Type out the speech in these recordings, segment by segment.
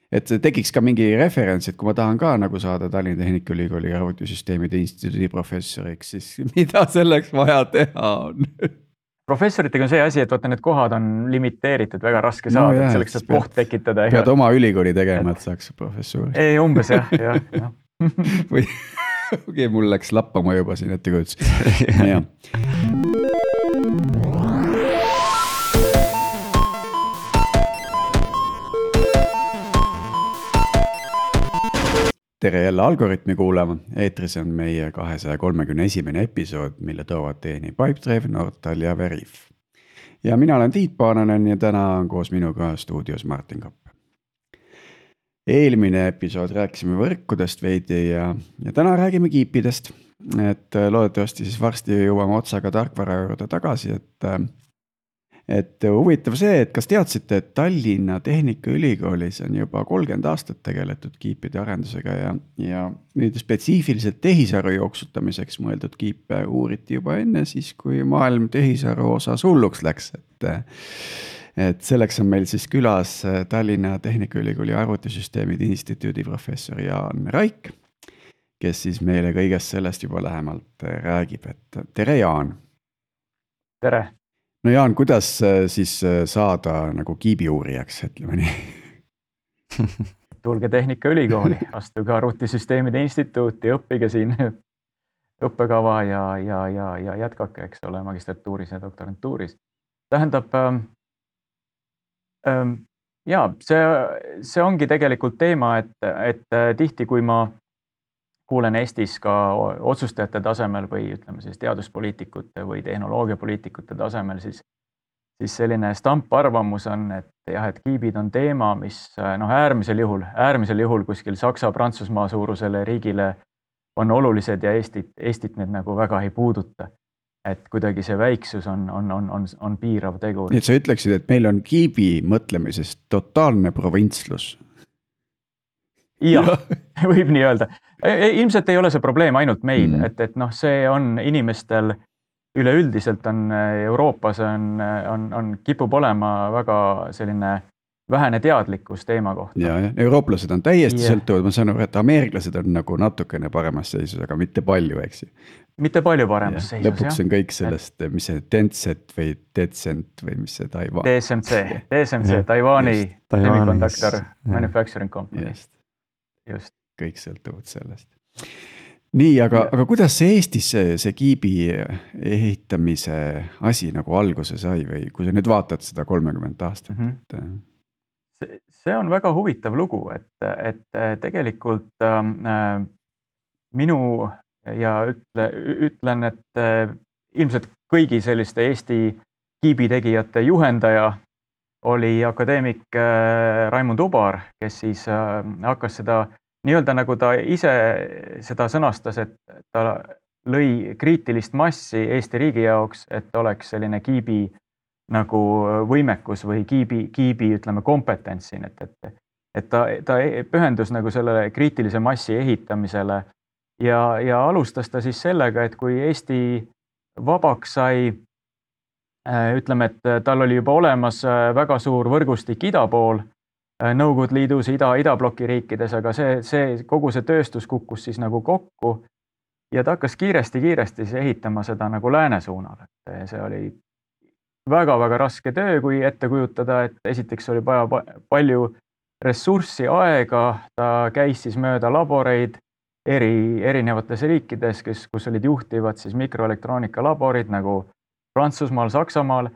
et tekiks ka mingi referents, et kui ma tahan ka nagu saada Tallinna Tehnikaülikooli arvutisüsteemide instituudi professoriks, siis mida selleks vaja teha on? Professoritega on see asi, et vaata need kohad on limiteeritud, väga raske No saada, jah, et selleks et saab koht tekitada. Pead oma ülikooli tegema, et saaks professuuri. Ei, umbes jah. Või okei, mul läks lappama juba siin ettekujutus. Jah. Tere jälle Algoritmi kuulama, eetris on meie 231. episood, mille toovad teieni Pipedrive, Nortal ja Veriff. Ja mina olen Tiit Paananen ja täna on koos minuga stuudios Martin Kapp. Eelmine episood rääkisime võrkudest veidi ja täna räägime kiipidest. Et loodetavasti siis varsti jõuame otsaga tarkvara juurde tagasi, et huvitav see, et kas teadsite, et Tallinna Tehnikaülikoolis on juba 30 aastat tegeletud kiipide arendusega ja nüüd spetsiifiliselt tehisaru jooksutamiseks mõeldud kiipe uuriti juba enne siis, kui maailm tehisaru osas hulluks läks. Et selleks on meil siis külas Tallinna Tehnikaülikooli arvutisüsteemide instituudi professor Jaan Raik, kes siis meile kõigest sellest juba lähemalt räägib. Et tere, Jaan! Tere! No Jaan, kuidas siis saada nagu kiibiuurijaks, ütleme nii? Tulge Tehnikaülikooli, astuge arvutisüsteemide instituuti, õppige siin õppekava ja jätkake, eks ole, magistratuuris ja doktorantuuris. Tähendab, see ongi tegelikult teema, et tihti, kui ma kuulen Eestis ka otsustajate tasemel või ütleme siis teaduspoliitikute või tehnoloogiapoliitikute tasemel, siis selline stamparvamus on, et kiibid on teema, mis äärmisel juhul kuskil Saksa-Prantsusmaa suurusele riigile on olulised ja Eestit need nagu väga ei puuduta. Et kuidagi see väiksus on piirav tegur. Nii et sa ütleksid, et meil on kiibi mõtlemisest totaalne provintslus. Jah, võib nii öelda. Ilmselt ei ole see probleem ainult meil, et see on inimestel üleüldiselt on Euroopas kipub olema väga selline vähene teadlikkus teema kohta. Ja, eurooplased on täiesti sõltuvad, ma saan aru, et ameeriklased on nagu natukene paremas seisus, aga mitte palju, eks. Mitte palju paremas seisus, jah. Lõpuks on kõik sellest, mis see Tencent või Tencent või mis see Taiwan. TSMC, Taiwani Semiconductor Manufacturing Company. Just. Kõik sõltuvad sellest. Nii, aga kuidas see Eestis see kiibi ehitamise asi nagu alguse sai või kui sa nüüd vaatad seda 30 aastat? See on väga huvitav lugu, et tegelikult minu ja ütlen, et ilmselt kõigi selliste Eesti kiibitegijate juhendaja oli akadeemik Raimund Ubar, kes siis hakkas seda nii-öelda nagu ta ise seda sõnastas, et ta lõi kriitilist massi Eesti riigi jaoks, et oleks selline kiibi nagu võimekus või kiibi ütleme kompetents siin, et ta pühendus nagu sellele kriitilise massi ehitamisele ja alustas ta siis sellega, et kui Eesti vabaks sai, ütleme, et tal oli juba olemas väga suur võrgustik ida pool, Nõukogude Liidus, idabloki riikides, aga kogu see tööstus kukkus siis nagu kokku ja ta hakkas kiiresti siis ehitama seda nagu lääne suunal. See oli väga-väga raske töö, kui ette kujutada, et esiteks oli vaja palju ressurssi, aega, ta käis siis mööda laboreid erinevates riikides, kus olid juhtivad siis mikroelektroonika laborid nagu Prantsusmaal, Saksamaal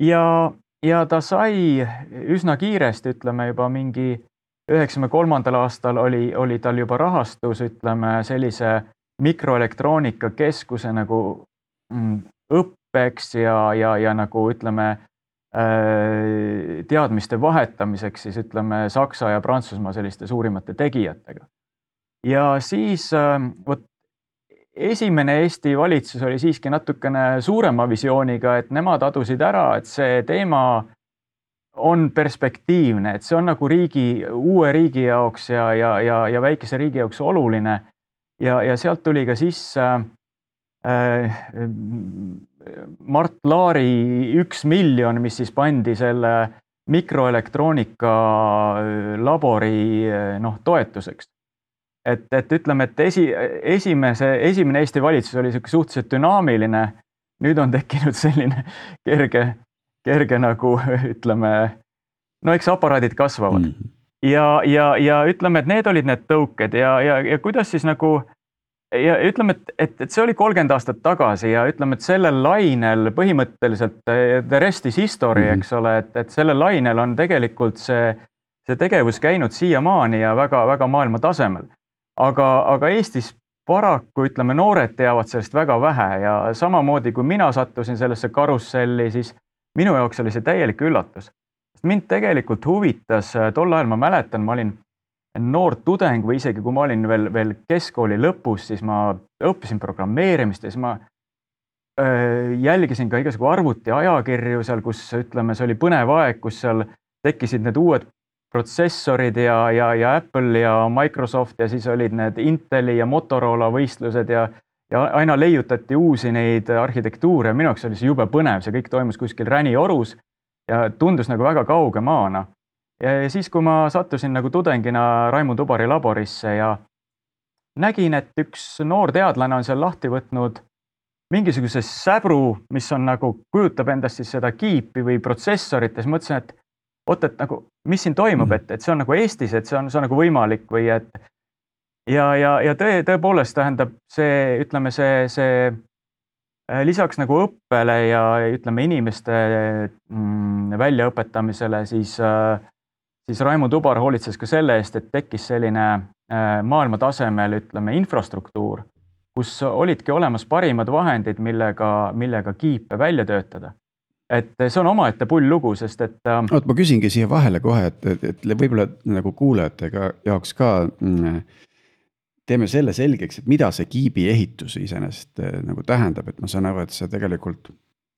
ja ta sai üsna kiiresti, ütleme juba mingi 93. aastal oli tal juba rahastus, ütleme sellise mikroelektroonika keskuse nagu õppeks ja nagu ütleme teadmiste vahetamiseks siis ütleme Saksa ja Prantsusmaa selliste suurimate tegijatega. Ja siis esimene Eesti valitsus oli siiski natukene suurema visiooniga, et nemad adusid ära, et see teema on perspektiivne, et see on nagu uue riigi jaoks ja väikese riigi jaoks oluline. Ja sealt tuli ka sisse Mart Laari 1 miljon, mis siis pandi selle mikroelektroonika labori toetuseks. Et ütleme, et esimene Eesti valitsus oli suhteliselt dünaamiline, nüüd on tekkinud selline kerge nagu ütleme, eks aparaadid kasvavad. Ja ütleme, et need olid need tõuked ja kuidas siis nagu, ja ütleme, et see oli 30 aastat tagasi ja ütleme, et sellel lainel põhimõtteliselt the rest is history, eks ole, et sellel lainel on tegelikult see tegevus käinud siiamaani ja väga maailma tasemel. Aga Eestis paraku, ütleme, noored teavad sellest väga vähe ja samamoodi kui mina sattusin sellesse karusselli, siis minu jaoks oli see täielik üllatus. Mind tegelikult huvitas, tol ajal ma mäletan, ma olin noor tudeng või isegi kui ma olin veel keskkooli lõpus, siis ma õppisin programmeerimist ja siis ma jälgisin ka igasugu arvuti ajakirju seal, kus ütleme, see oli põnev aeg, kus seal tekkisid need uued protsessorid ja Apple ja Microsoft ja siis olid need Inteli ja Motorola võistlused ja aina leiutati uusi neid arhitektuure. Minu jaoks oli see jube põnev, see kõik toimus kuskil Räniorus ja tundus nagu väga kauge maana. Ja siis, kui ma sattusin nagu tudengina Raimond Ubari laborisse ja nägin, et üks noor teadlane on seal lahti võtnud mingisuguse säbru, mis on nagu kujutab endast siis seda kiipi või protsessorit ja siis mõtlesin, et et nagu, mis siin toimub, et see on nagu Eestis, et see on nagu võimalik või et ja tõepoolest tähendab see, ütleme, see lisaks nagu õppele ja ütleme inimeste väljaõpetamisele, siis Raimond Ubar hoolitses ka selle eest, et tekkis selline maailma tasemel, ütleme, infrastruktuur, kus olidki olemas parimad vahendid, millega kiipe välja töötada. Et see on omaette pull lugu, sest et ma küsingi siia vahele kohe, et võib-olla nagu kuulajatega jaoks ka teeme selle selgeks, et mida see kiibi ehitus iseenesest nagu tähendab, et ma saan aru, et see tegelikult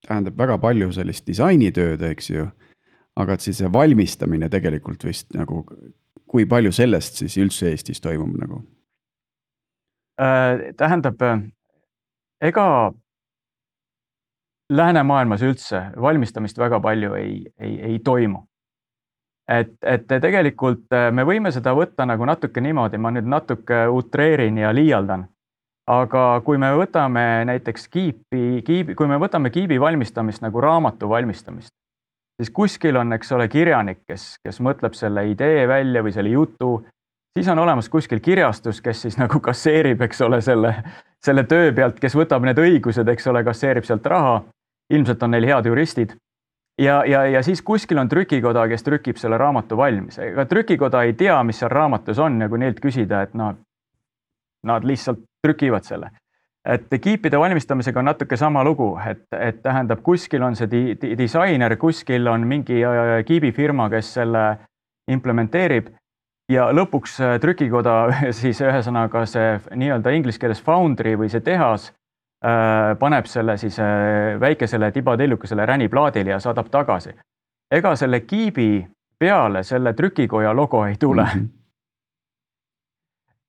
tähendab väga palju sellist disainitööd, eks ju, aga et siis see valmistamine tegelikult vist nagu, kui palju sellest siis üldse Eestis toimub nagu? Tähendab, ega läänemaailmas üldse valmistamist väga palju ei toimu. Et tegelikult me võime seda võtta nagu natuke niimoodi, ma nüüd natuke utreerin ja liialdan, aga kui me võtame näiteks kui me võtame kiibi valmistamist nagu raamatu valmistamist, siis kuskil on, eks ole, kirjanik, kes mõtleb selle idee välja või selle jutu, siis on olemas kuskil kirjastus, kes siis nagu kasseerib, eks ole, selle töö pealt, kes võtab need õigused, eks ole, kasseerib sealt raha. Ilmselt on neil head juristid ja siis kuskil on trükikoda, kes trükib selle raamatu valmis. Ega trükikoda ei tea, mis seal raamatus on ja kui neilt küsida, et nad lihtsalt trükivad selle. Et kiipide valmistamisega on natuke sama lugu, et tähendab, kuskil on see disainer, kuskil on mingi kiibifirma, kes selle implementeerib ja lõpuks trükikoda siis ühesõnaga see nii-öelda inglise keeles foundry või see tehas paneb selle siis väikesele tibatellukesele räniplaadile ja saadab tagasi. Ega selle kiibi peale selle trükikoja logo ei tule.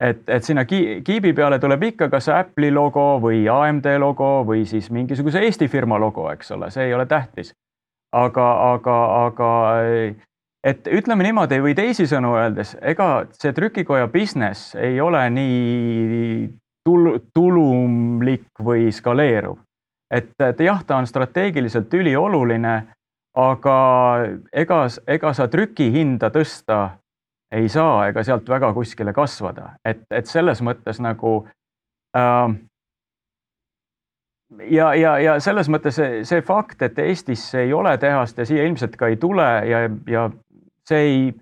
Et sinna kiibi peale tuleb ikka kas Apple'i logo või AMD logo või siis mingisuguse Eesti firma logo, eks ole, see ei ole tähtis. Aga et ütleme niimoodi või teisisõnu öeldes, ega see trükikoja business ei ole nii tulumlik või skaleeruv. Et jah, ta on strateegiliselt ülioluline, aga ega sa trüki hinda tõsta ei saa ega sealt väga kuskile kasvada. Et selles mõttes nagu ja selles mõttes see fakt, et Eestis ei ole tehast ja siia ilmselt ka ei tule ja see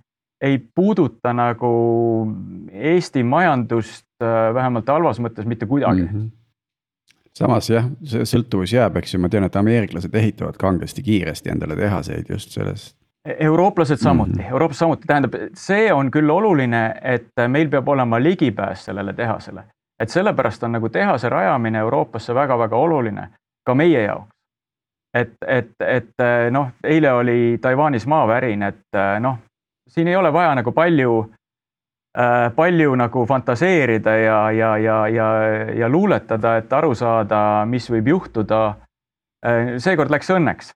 ei puuduta nagu Eesti majandust vähemalt halvas mõttes mitte kuidagi. Samas jah, see sõltuvus jääb, eks ju, ma tean, et ameeriklased ehitavad kangesti kiiresti endale tehaseid just sellest. Eurooplased samuti, tähendab, see on küll oluline, et meil peab olema ligipääs sellele tehasele. Et sellepärast on nagu tehase rajamine Euroopasse väga-väga oluline, ka meie jaoks. Et eile oli Taiwanis maavärin, et siin ei ole vaja nagu palju nagu fantaseerida ja luuletada, et aru saada, mis võib juhtuda. Seekord läks õnneks.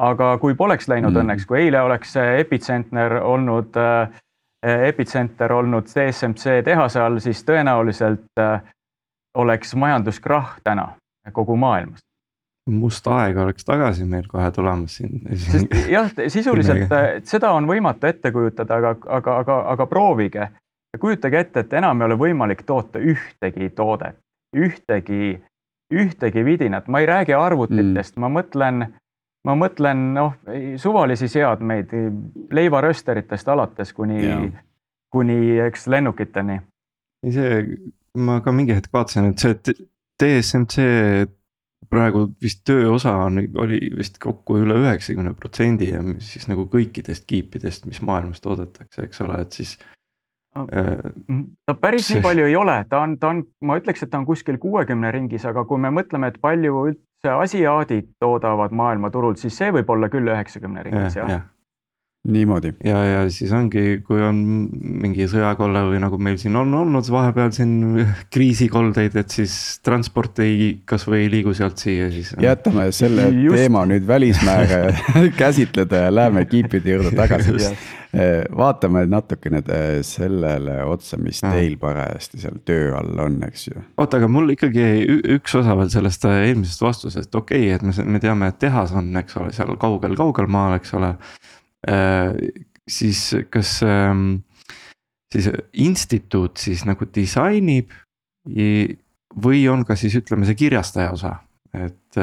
aga kui poleks läinud õnneks, kui eile oleks epitsenter olnud TSMC tehase all, siis tõenäoliselt oleks majanduskrahh täna kogu maailmas. Must aeg oleks tagasi meil kohe tulemas siin. Jah, sisuliselt seda on võimatu ette kujutada, aga proovige. Kujutage ette, et enam ei ole võimalik toota ühtegi toodet, ühtegi vidinat. Ma ei räägi arvutitest, ma mõtlen suvalisi seadmeid, leivarösteritest alates kuni eks lennukiteni. Ma ka mingi hetk vaatasin, et see TSMC praegu vist tööosa oli vist kokku üle 90% ja siis nagu kõikidest kiipidest, mis maailmas toodetakse, eks ole, et siis ta päris nii palju ei ole, ma ütleks, et ta on kuskil 60 ringis, aga kui me mõtleme, et palju üldse asiaadid toodavad maailmaturul, siis see võib olla küll 90 ringis, jah. Niimoodi. Ja siis ongi, kui on mingi sõjakolle või nagu meil siin on olnud vahepeal siin kriisikoldeid, et siis transport kas või ei liigu sealt siia siis. Jätame selle teema nüüd välismäär käsitleda ja läheme kiipide juurde tagasi. Vaatame natukene sellele otsa, mis teil parajasti seal töö all on, eks ju. Oota, aga mul ikkagi üks osa veel sellest eelmisest vastusest, okei, et me teame, et tehas on, eks ole, seal kaugel maal, eks ole. Siis kas siis instituut siis nagu disainib või on ka siis ütleme see kirjastaja osa, et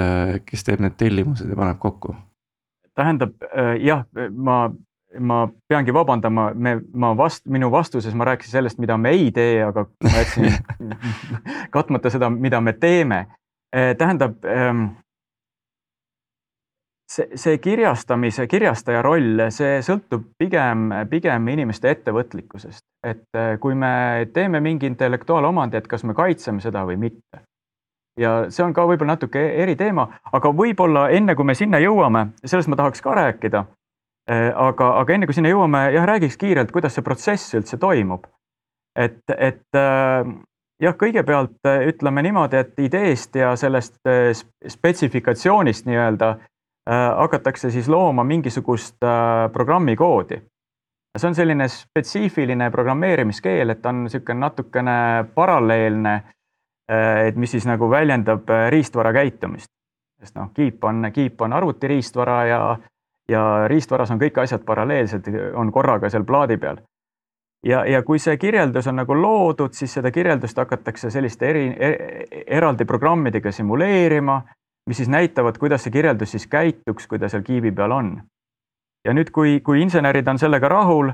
kes teeb need tellimused ja paneb kokku? Tähendab, jah, ma peangi vabandama, minu vastuses ma rääkisin sellest, mida me ei tee, aga ma jätsin katmata seda, mida me teeme. Tähendab, see kirjastaja roll, see sõltub pigem inimeste ettevõtlikkusest. Et kui me teeme mingi intellektuaalomandi, et kas me kaitseme seda või mitte. Ja see on ka võib-olla natuke eri teema, aga võib-olla enne kui me sinna jõuame, sellest ma tahaks ka rääkida, aga enne kui sinna jõuame, räägiks kiirelt, kuidas see protsess üldse toimub. Et kõigepealt ütleme niimoodi, et ideest ja sellest spetsifikatsioonist nii-öelda hakatakse siis looma mingisugust programmikoodi. See on selline spetsiifiline programmeerimiskeel, et on niisugune natukene paralleelne, et mis siis nagu väljendab riistvara käitumist. Sest kiip on arvutiriistvara ja riistvaras on kõik asjad paralleelsed, on korraga seal plaadi peal. Ja kui see kirjeldus on nagu loodud, siis seda kirjeldust hakatakse selliste eraldi programmidega simuleerima, mis siis näitavad, kuidas see kirjeldus siis käituks, kui ta seal kiibi peal on. Ja nüüd, kui insenerid on sellega rahul,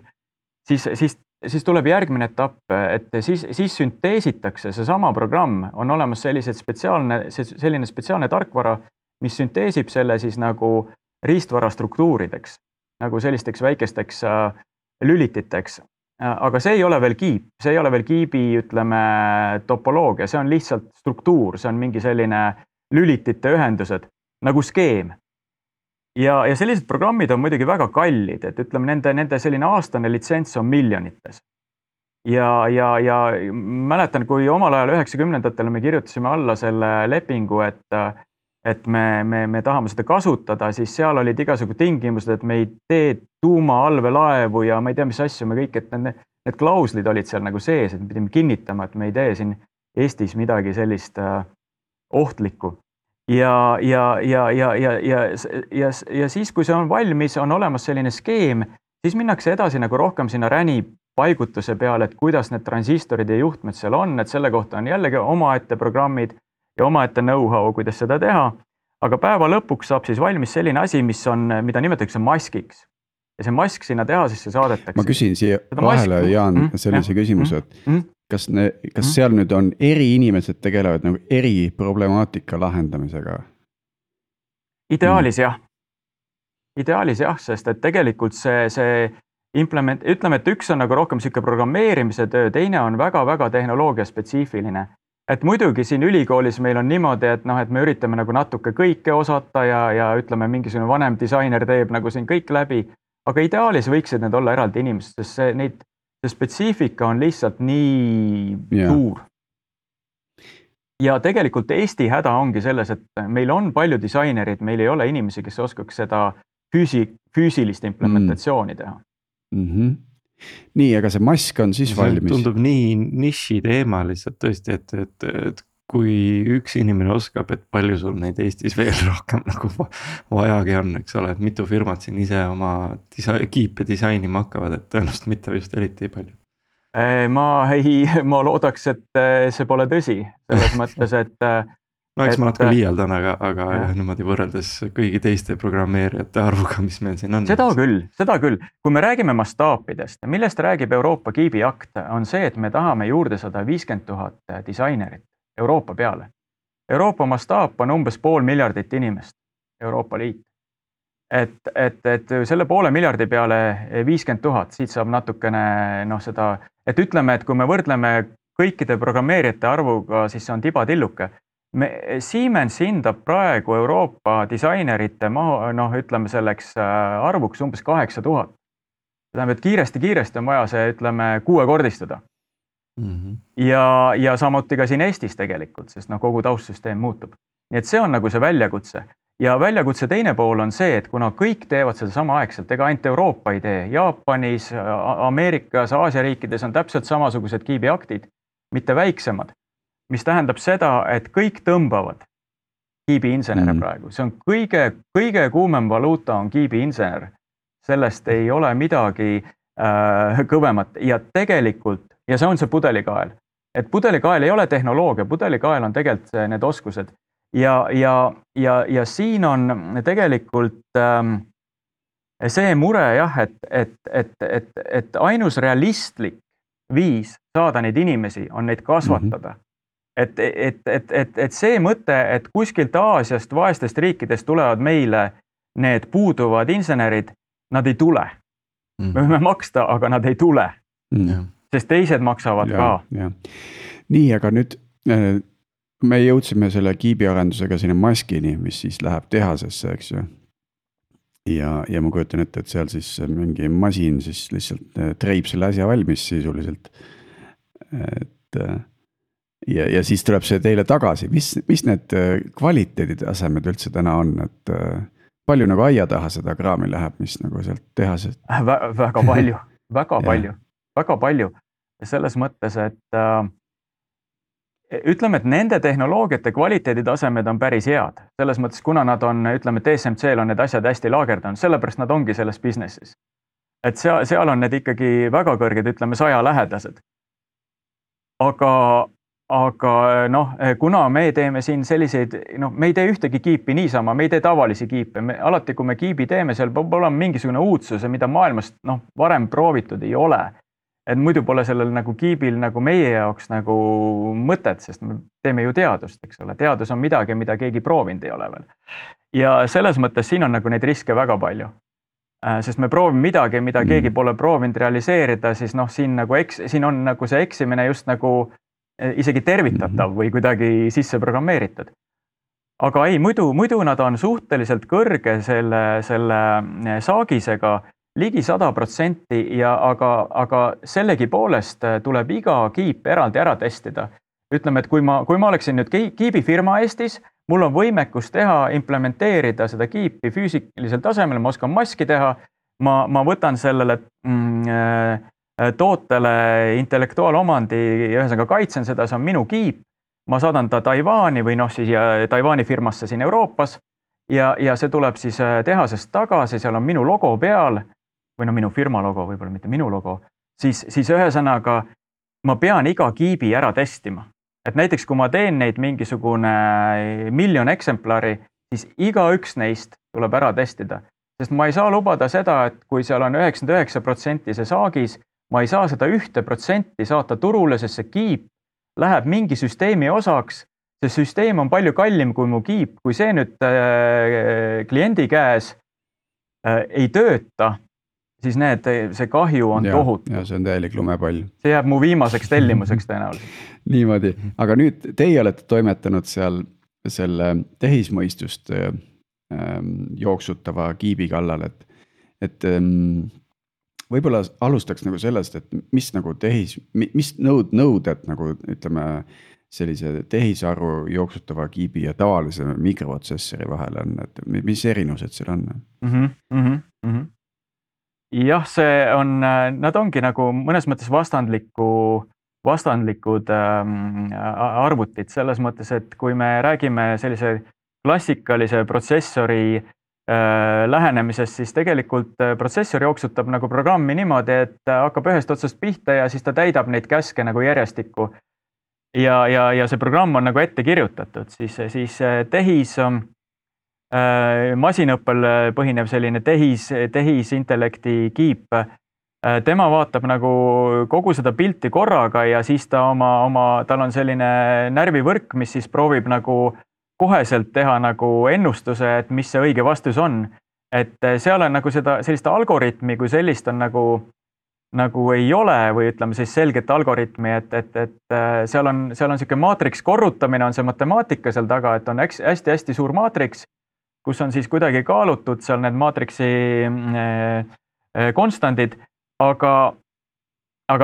siis tuleb järgmine etapp, et siis sünteesitakse see sama programm, on olemas selline spetsiaalne tarkvara, mis sünteesib selle siis nagu riistvara struktuurideks, nagu sellisteks väikesteks lülititeks. Aga see ei ole veel kiip, see ei ole veel kiibi, ütleme, topoloogia, see on lihtsalt struktuur, see on mingi selline lülitite ühendused, nagu skeem. Ja sellised programmid on muidugi väga kallid, et ütleme, nende selline aastane litsents on miljonites. Ja mäletan, kui omal ajal 90-ndatel me kirjutasime alla selle lepingu, et me tahame seda kasutada, siis seal olid igasugu tingimused, et me ei tee tuumaallvelaevu ja ma ei tea, mis asju me kõik, et need klauslid olid seal nagu sees, et me pidime kinnitama, et me ei tee siin Eestis midagi sellist ohtlikku. Ja siis, kui see on valmis, on olemas selline skeem, siis minnakse edasi nagu rohkem sinna räni paigutuse peale, et kuidas need transistorid ja juhtmed seal on, et selle kohta on jällegi omaette programmid ja omaette know-how, kuidas seda teha. Aga päeva lõpuks saab siis valmis selline asi, mida nimetatakse maskiks. Ja see mask sinna tehasesse saadetakse. Ma küsin siia vahele, Jaan, sellise küsimuse, et kas seal nüüd on eri inimesed tegelevad nagu eri problemaatika lahendamisega? Ideaalis jah. Ideaalis jah, sest et tegelikult see ütleme, et üks on nagu rohkem siuke programmeerimise töö, teine on väga-väga tehnoloogia spetsiifiline. Et muidugi siin ülikoolis meil on niimoodi, et me üritame nagu natuke kõike osata ja ütleme, mingisugune vanem disainer teeb nagu siin kõik läbi, aga ideaalis võiksid need olla eraldi inimesed, sest see spetsiifika on lihtsalt nii suur. Ja tegelikult Eesti häda ongi selles, et meil on palju disainerid, meil ei ole inimesi, kes oskaks seda füüsilist implementatsiooni teha. Nii, aga see mask on siis valmis? Tundub nii niši teema lihtsalt tõesti, et kui üks inimene oskab, et palju sul neid Eestis veel rohkem nagu vajagi on, eks ole, et mitu firmat siin ise oma kiipe disainima hakkavad, et tõenäoliselt mitte just eriti palju. Ma loodaks, et see pole tõsi, selles mõttes, et no eks ma natuke liialdan, aga niimoodi võrreldes kõigi teiste programmeerijate arvuga, mis meil siin on. Seda küll. Kui me räägime mastaapidest, millest räägib Euroopa kiibiakt, on see, et me tahame juurde 150 000 disainerit Euroopa peale. Euroopa mastaap on umbes 500 miljonit inimest, Euroopa Liit. Et selle 500 miljardi peale 50 000, siit saab natukene seda, et ütleme, et kui me võrdleme kõikide programmeerijate arvuga, siis see on tibatilluke. Siemens hindab praegu Euroopa disainerite ütleme selleks arvuks umbes 8000. Tähendab, et kiiresti on vaja see, ütleme, 6-kordistada. Ja samuti ka siin Eestis tegelikult, sest kogu taustsüsteem muutub. Nii et see on nagu see väljakutse. Ja väljakutse teine pool on see, et kuna kõik teevad seda sama aegselt, ega ainult Euroopa ei tee, Jaapanis, Ameerikas, Aasia riikides on täpselt samasugused kiibiaktid, mitte väiksemad. Mis tähendab seda, et kõik tõmbavad kiibiinsenere praegu. See on kõige kuumem valuuta on kiibiinsener. Sellest ei ole midagi kõvemat ja tegelikult, ja see on see pudelikael. Et pudelikael ei ole tehnoloogia, pudelikael on tegelikult need oskused. Ja siin on tegelikult see mure jah, et ainus realistlik viis saada neid inimesi on neid kasvatada. Et see mõte, et kuskilt Aasiast, vaestest riikidest tulevad meile need puuduvad insenerid, nad ei tule. Me võime maksta, aga nad ei tule. Sest teised maksavad ka. Nii, aga nüüd me jõudsime selle kiibiarendusega sinna maskini, mis siis läheb tehasesse, eks ju. Ja ma kujutan ette, et seal siis mingi masin siis lihtsalt treib selle asja valmis sisuliselt. Ja siis tuleb see teile tagasi. Mis need kvaliteeditasemed üldse täna on? Et palju nagu aia taha seda kraami läheb, mis nagu sealt tehasest? Väga palju. Selles mõttes, et ütleme, et nende tehnoloogiate kvaliteeditasemed on päris head. Selles mõttes, kuna nad on, ütleme, TSMC-l on need asjad hästi laagerdanud, sellepärast nad ongi selles businessis. Et seal on need ikkagi väga kõrged, ütleme, 100 lähedased. Aga kuna me teeme siin selliseid, me ei tee ühtegi kiipi niisama, me ei tee tavalisi kiipe. Alati, kui me kiibi teeme, seal peab olema mingisugune uudsuse, mida maailmast varem proovitud ei ole. Et muidu pole sellel nagu kiibil nagu meie jaoks nagu mõtet, sest me teeme ju teadust, eks ole. Teadus on midagi, mida keegi proovinud ei ole veel. Ja selles mõttes siin on nagu neid riske väga palju. Sest me proovime midagi, mida keegi pole proovinud realiseerida, siis siin on nagu see eksimine just nagu isegi tervitatav või kuidagi sisse programmeeritud. Aga ei, muidu nad on suhteliselt kõrge selle saagisega, ligi 100% aga sellegi poolest tuleb iga kiip eraldi ära testida. Ütleme, et kui ma oleksin nüüd kiibifirma Eestis, mul on võimekus implementeerida seda kiipi füüsilisel tasemel, ma oskan maski teha, ma võtan sellele tootele intellektuaalomandi ja ühesõnaga kaitsen seda, see on minu kiip, ma saadan ta Taiwani või siis Taiwani firmasse siin Euroopas ja see tuleb siis tehasest tagasi, seal on minu logo peal, või minu firma logo, võib-olla mitte minu logo, siis ühesõnaga ma pean iga kiibi ära testima. Et näiteks, kui ma teen neid mingisugune 1 miljon eksemplari, siis igaüks neist tuleb ära testida. Sest ma ei saa lubada seda, et kui seal on 99% see saagis, ma ei saa seda 1% saata turule, sest see kiip läheb mingi süsteemi osaks. See süsteem on palju kallim kui mu kiip. Kui see nüüd kliendi käes ei tööta, siis see kahju on tohutu. Ja see on täielik lumepall. See jääb mu viimaseks tellimuseks tõenäoliselt. Niimoodi. Aga nüüd teie olete toimetanud seal selle tehismõistust jooksutava kiibi kallal, et võib-olla alustaks nagu sellest, et mis nagu mis nõuded nagu ütleme sellise tehisaru jooksutava kiibi ja tavalise mikroprotsessori vahel on, et mis erinevused seal on? Jah, see on, nad ongi nagu mõnes mõttes vastandlikud arvutid selles mõttes, et kui me räägime sellise klassikalise protsessori lähenemisest, siis tegelikult protsessor jooksutab nagu programmi niimoodi, et hakkab ühest otsast pihta ja siis ta täidab neid käske nagu järjestikku. Ja see programm on nagu ette kirjutatud, siis tehis masinõppel põhinev selline tehisintellekti kiip, tema vaatab nagu kogu seda pilti korraga ja siis tal on selline närvivõrk, mis siis proovib nagu koheselt teha nagu ennustuse, et mis see õige vastus on. Et seal on nagu sellist algoritmi, kui sellist on nagu ei ole või ütleme siis selget algoritmi, et seal on selline maatriks korrutamine, on see matemaatika seal taga, et on hästi-hästi suur maatriks, kus on siis kuidagi kaalutud seal need maatriksi konstandid, aga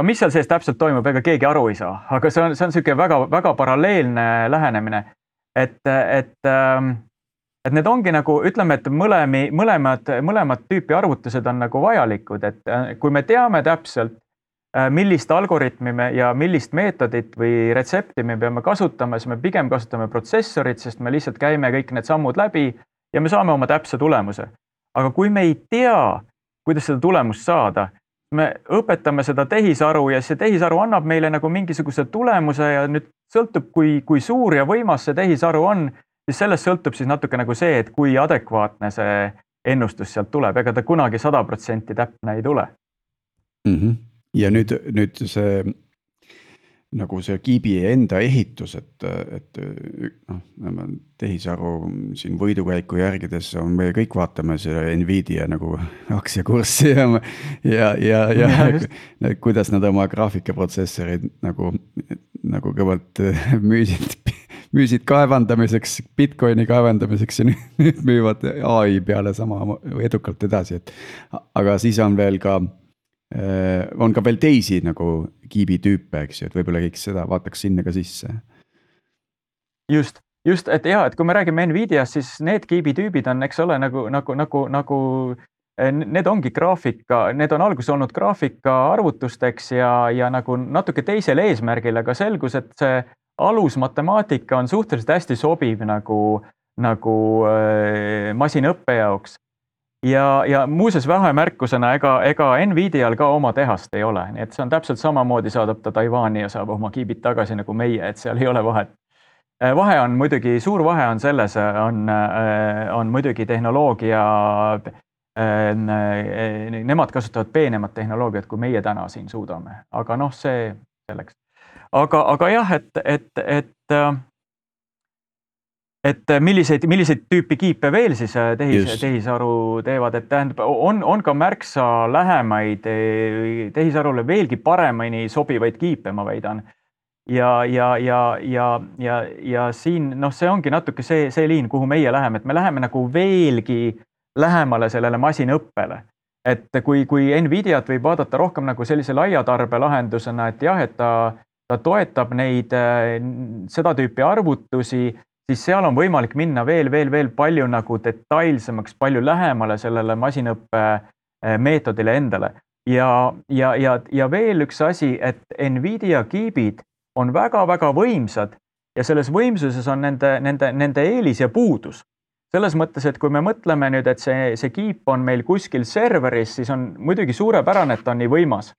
mis seal sees täpselt toimub, ega keegi aru ei saa, aga see on selline väga paralleelne lähenemine. Et need ongi nagu, ütleme, et mõlemad tüüpi arvutused on nagu vajalikud, et kui me teame täpselt, millist algoritmi ja millist meetodit või retsepti me peame kasutama, siis me pigem kasutame protsessorit, sest me lihtsalt käime kõik need sammud läbi ja me saame oma täpse tulemuse. Aga kui me ei tea, kuidas seda tulemust saada, me õpetame seda tehisaru ja see tehisaru annab meile nagu mingisuguse tulemuse ja nüüd sõltub, kui suur ja võimas see tehisaru on, siis sellest sõltub siis natuke nagu see, et kui adekvaatne see ennustus sealt tuleb, ega ta kunagi 100% täpne ei tule. Ja nüüd see nagu see kiibi enda ehitus, et tehisaru siin võidukäiku järgides on, me kõik vaatame selle Nvidia nagu aktsiakurssi ja kuidas nad oma graafikaprotsessorid nagu kõvalt müüsid kaevandamiseks, Bitcoini kaevandamiseks ja nüüd müüvad AI peale sama edukalt edasi, aga siis on veel ka veel teisi nagu kiibitüüpe, eks ju, et võib-olla kõik seda vaataks sinna ka sisse. Just, et kui me räägime Nvidiast, siis need kiibitüübid on, eks ole, nagu need ongi graafika, need on alguses olnud graafika arvutusteks ja nagu natuke teisel eesmärgil, aga selgus, et see alusmatemaatika on suhteliselt hästi sobiv nagu masinõppe jaoks. Ja muuseas vahemärkusena, ega Nvidial ka oma tehast ei ole, nii et see on täpselt samamoodi, saadab ta Taiwani ja saab oma kiibid tagasi nagu meie, et seal ei ole vahet. Vahe on muidugi, suur vahe on selles, on muidugi tehnoloogia, nemad kasutavad peenemat tehnoloogiat, kui meie täna siin suudame, aga see selleks. Aga jah, et milliseid tüüpi kiipe veel siis tehisaru teevad, et tähendab, on ka märksa lähemaid tehisarule veelgi paremini sobivaid kiipe, ma väidan. Ja siin, see ongi natuke see liin, kuhu meie läheme, et me läheme nagu veelgi lähemale sellele masinõppele. Et kui Nvidiat võib vaadata rohkem nagu sellise laiatarbe lahendusena, et jah, et ta toetab seda tüüpi arvutusi, siis seal on võimalik minna veel palju nagu detailsemaks, palju lähemale sellele masinõppe meetodile endale. Ja veel üks asi, et Nvidia kiibid on väga-väga võimsad ja selles võimsuses on nende eelis ja puudus. Selles mõttes, et kui me mõtleme nüüd, et see kiip on meil kuskil serveris, siis on muidugi suurepärane, et ta on nii võimas.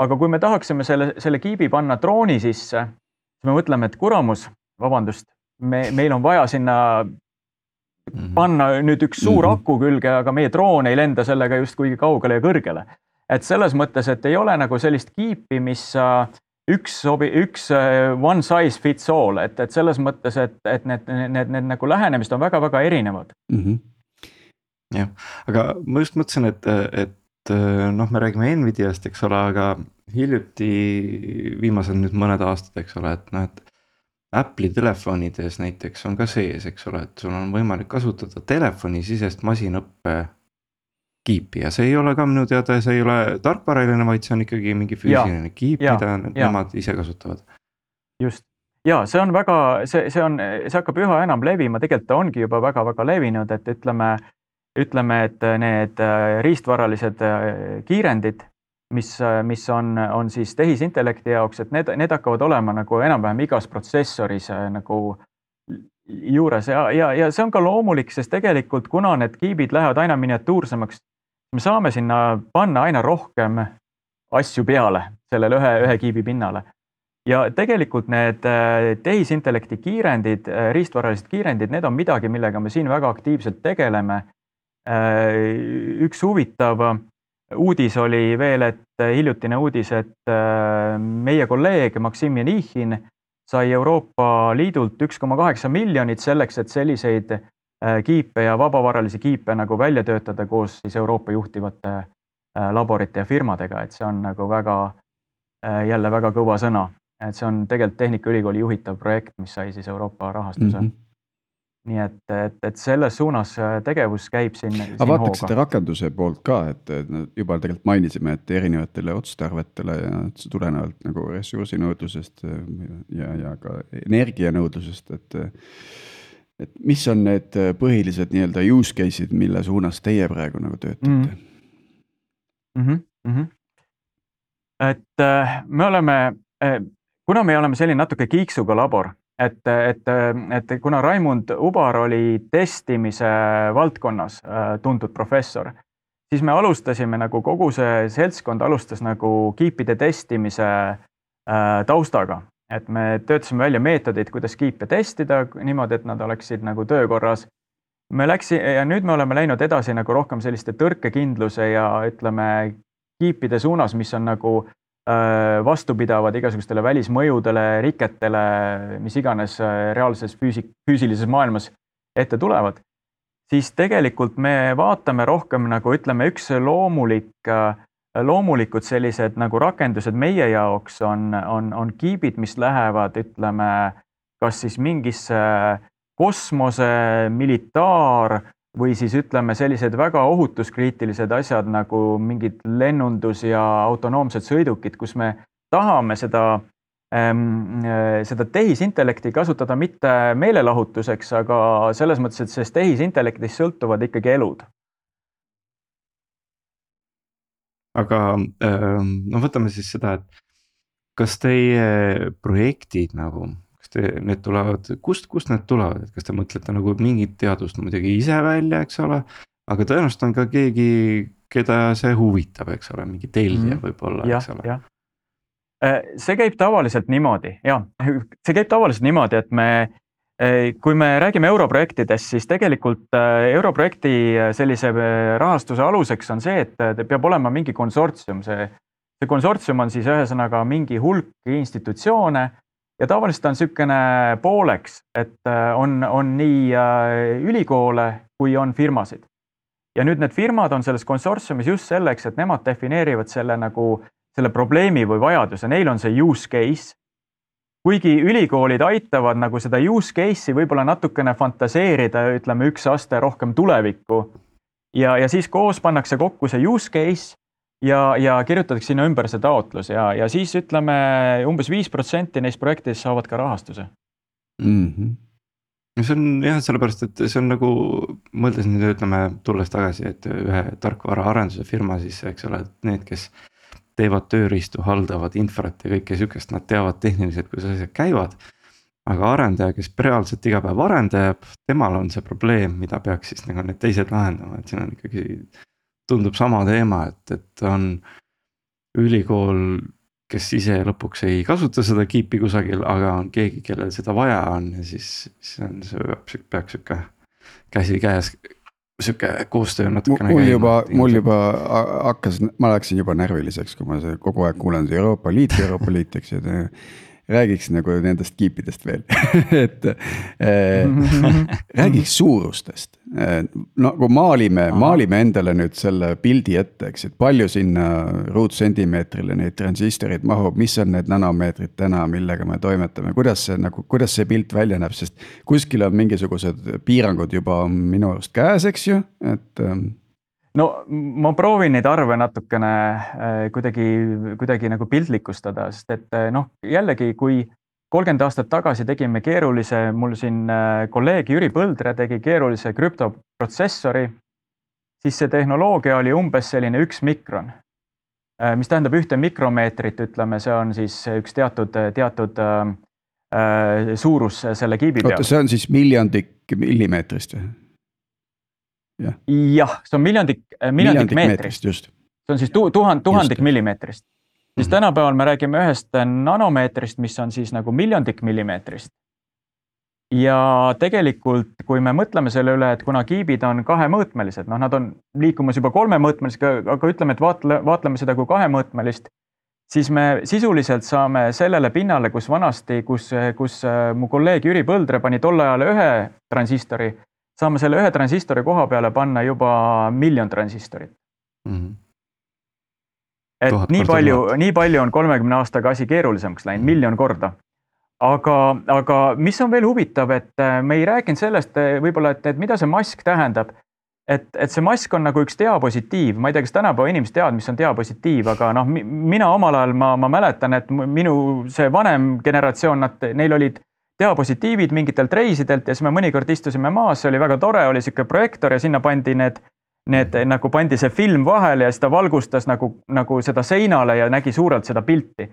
Aga kui me tahaksime selle kiibi panna drooni sisse, siis me mõtleme, et kuramus, vabandust, meil on vaja sinna panna nüüd üks suur aku külge, aga meie droon ei lenda sellega just kuigi kaugele ja kõrgele. Et selles mõttes, et ei ole nagu sellist kiipi, mis üks one size fits all, et selles mõttes, et need nagu lähenemist on väga-väga erinevad. Jah, aga ma just mõtlesin, et me räägime Nvidiast, eks ole, aga hiljuti viimased nüüd mõned aastad, eks ole, et Apple'i telefonides näiteks on ka sees, eks ole, et sul on võimalik kasutada telefonisisest masinõppe kiipi ja see ei ole ka minu teada, see ei ole tarkvaraline, vaid see on ikkagi mingi füüsiline kiip, mida nemad ise kasutavad. Just. ja see on väga, see hakkab üha enam levima, tegelikult ta ongi juba väga-väga levinud, et ütleme, et need riistvaralised kiirendid, mis on siis tehisintellekti jaoks, et need hakkavad olema nagu enam-vähem igas protsessoris nagu juures ja see on ka loomulik, sest tegelikult kuna need kiibid lähevad aina miniatuursemaks, me saame sinna panna aina rohkem asju peale sellele ühe kiibi pinnale. Ja tegelikult need tehisintellekti kiirendid, riistvaralised kiirendid, need on midagi, millega me siin väga aktiivselt tegeleme. Üks huvitav uudis oli veel, et hiljutine uudis, et meie kolleeg Maksim Janichin sai Euroopa Liidult 1,8 miljonit selleks, et selliseid kiipe ja vabavaralisi kiipe nagu välja töötada koos siis Euroopa juhtivate laborite ja firmadega, et see on nagu jälle väga kõva sõna. Et see on tegelikult Tehnikaülikooli juhitav projekt, mis sai siis Euroopa rahastuse. Nii et selles suunas tegevus käib siin Aga vaataks seda rakenduse poolt ka, et juba tegelikult mainisime, et erinevatele otstarvetele ja tulenevalt nagu ressursinõudlusest ja ka energianõudlusest, et mis on need põhilised nii-öelda use case'id, mille suunas teie praegu nagu töötate? Et kuna me oleme selline natuke kiiksuga labor, et kuna Raimund Ubar oli testimise valdkonnas tuntud professor, siis me alustasime nagu kogu see seltskond alustas nagu kiipide testimise taustaga. Et me töötasime välja meetodid, kuidas kiipe testida niimoodi, et nad oleksid nagu töökorras. Ja nüüd me oleme läinud edasi nagu rohkem selliste tõrkekindluse ja ütleme kiipide suunas, mis on nagu vastupidavad igasugustele välismõjudele, riketele, mis iganes reaalses füüsilises maailmas ette tulevad, siis tegelikult me vaatame rohkem nagu ütleme üks loomulikud sellised nagu rakendused meie jaoks on kiibid, mis lähevad ütleme kas siis mingisse kosmose, militaar või siis ütleme sellised väga ohutuskriitilised asjad nagu mingid lennundus ja autonoomsed sõidukid, kus me tahame seda tehisintellekti kasutada mitte meelelahutuseks, aga selles mõttes, et sellest tehisintellektist sõltuvad ikkagi elud. Aga no võtame siis seda, et kas teie projektid nagu need tulevad, kust need tulevad, et kas te mõtlete nagu mingit teadust muidugi ise välja, eks ole, aga tõenäoliselt on ka keegi, keda see huvitab, eks ole, mingi tellija võib-olla, eks ole. See käib tavaliselt niimoodi, et kui me räägime europrojektidest, siis tegelikult europrojekti sellise rahastuse aluseks on see, et peab olema mingi konsortsium. See konsortsium on siis ühesõnaga mingi hulk institutsioone, ja tavaliselt on sükene pooleks, et on nii ülikoole kui on firmasid. Ja nüüd need firmad on selles konsortsiumis just selleks, et nemad defineerivad selle probleemi või vajaduse. Neil on see use case. Kuigi ülikoolid aitavad nagu seda use case'i võib-olla natukene fantaseerida, ütleme üks aste rohkem tulevikku. Ja siis koos pannakse kokku see use case ja kirjutatakse sinna ümber see taotlus ja siis ütleme umbes 5% neist projektidest saavad ka rahastuse. See on jah, sellepärast, et see on nagu, mõeldes nüüd ütleme tulles tagasi, et ühe tarkvara arenduse firma siis, eks ole, et need, kes teevad tööriistu, haldavad infrat ja kõike sükest, nad teavad tehniliselt, kuidas asjad käivad. Aga arendaja, kes reaalselt iga päev arendajab, temal on see probleem, mida peaks siis nagu need teised lahendama, et siin on ikkagi tundub sama teema, et on ülikool, kes ise lõpuks ei kasuta seda kiipi kusagil, aga on keegi, kellel seda vaja on ja siis see peaks sükke käsi käes, sükke koostöö natukene käima. Mul juba hakkas, ma läksin juba närviliseks, kui ma kogu aeg kuulen Euroopa Liit, eks ju, räägiks nagu nendest kiipidest veel, et räägiks suurustest. No kui maalime endale nüüd selle pildi ette, eks, et palju sinna ruutsentimeetrile neid transistorid mahub, mis on need nanomeetrid täna, millega me toimetame, kuidas see pilt välja näeb, sest kuskil on mingisugused piirangud juba minu arust käes, eks ju, et no ma proovin neid arve natukene kuidagi nagu piltlikustada, sest et jällegi, kui 30 aastat tagasi tegime keerulise, mul siin kolleeg Jüri Põldre tegi keerulise krüptoprotsessori, siis see tehnoloogia oli umbes selline 1 mikron, mis tähendab 1 mikromeetrit, ütleme, see on siis üks teatud suurus selle kiibi peal. Oota, see on siis miljondik millimeetrist või? Jah, see on miljondik meetrist. Just. See on siis tuhandik millimeetrist. Siis tänapäeval me räägime 1 nanomeetrist, mis on siis nagu miljondik millimeetrist. Ja tegelikult, kui me mõtleme selle üle, et kuna kiibid on 2-mõõtmelised, nad on liikumas juba 3-mõõtmelised, aga ütleme, et vaatleme seda kui 2-mõõtmelist, siis me sisuliselt saame sellele pinnale, kus vanasti, kus mu kolleeg Jüri Põldre pani tol ajal 1 transistori, saame selle 1 transistori koha peale panna juba 1 miljon transistorit. Et nii palju on 30 aastaga asi keerulisemaks läinud, 1 miljon korda. Aga mis on veel huvitav, et me ei rääkinud sellest võib-olla, et mida see mask tähendab. Et see mask on nagu üks diapositiiv, ma ei tea, kas tänapäeva inimesed teavad, mis on diapositiiv, aga mina omal ajal ma mäletan, et minu see vanem generatsioon, neil olid diapositiivid mingitelt reisidelt ja siis me mõnikord istusime maas, see oli väga tore, oli siuke projektor ja sinna pandi nagu pandi see film vahele ja siis ta valgustas nagu seda seinale ja nägi suurelt seda pilti.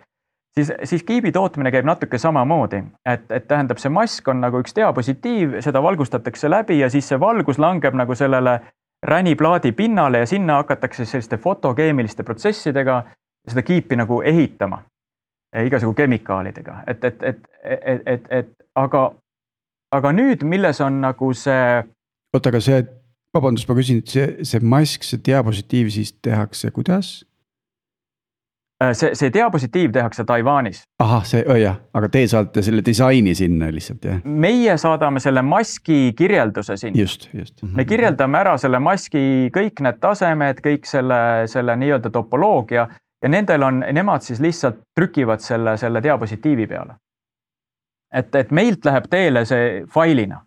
Siis kiibi tootmine käib natuke samamoodi, et tähendab, see mask on nagu üks diapositiiv, seda valgustatakse läbi ja siis see valgus langeb nagu sellele räniplaadi pinnale ja sinna hakatakse selliste fotokeemiliste protsessidega seda kiipi nagu ehitama, igasugu kemikaalidega. Aga nüüd, milles on nagu see... Oota, aga see, vabandust, ma küsin, see mask, see diapositiiv siis tehakse kuidas? See diapositiiv tehakse Taiwanis. Aha, jah, aga te saate selle disaini sinna lihtsalt, jah? Meie saadame selle maski kirjelduse sinna. Just. Me kirjeldame ära selle maski kõik need tasemed, kõik selle nii-öelda topoloogia ja nemad siis lihtsalt trükivad selle diapositiivi peale. Et meilt läheb teele see failina.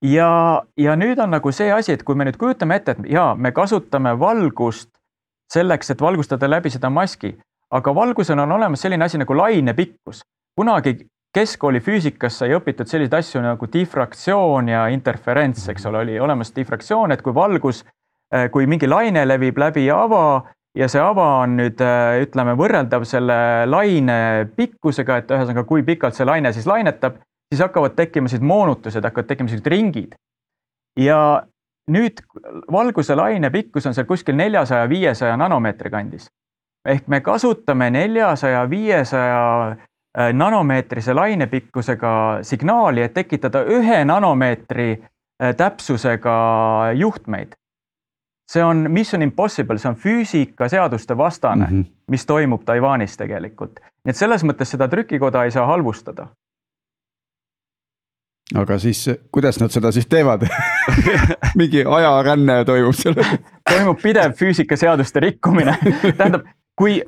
Ja nüüd on nagu see asi, et kui me nüüd kujutame ette, et me kasutame valgust selleks, et valgustada läbi seda maski, aga valgusel on olemas selline asi nagu lainepikkus. Kunagi keskkooli füüsikas sai õpitud selliseid asju nagu diffraktsioon ja interferents, eks ole, oli olemas diffraktsioon, et kui mingi laine levib läbi ava ja see ava on nüüd, ütleme, võrreldav selle laine pikkusega, et ühesõnaga, kui pikalt see laine siis lainetab, siis hakkavad tekkima moonutused, hakkavad tekkima ringid. Ja nüüd valguse laine pikkus on seal kuskil 400-500 nanomeetri kandis. Ehk me kasutame 400-500 nanomeetrise lainepikkusega signaali, et tekitada 1 nanomeetri täpsusega juhtmeid. See on mission impossible, see on füüsikaseaduste vastane, mis toimub Taiwanis tegelikult. Nii et selles mõttes seda trükikoda ei saa halvustada. Aga siis, kuidas nad seda siis teevad? Mingi ajaränne toimub selle. Toimub pidev füüsikaseaduste rikkumine. Tähendab, kui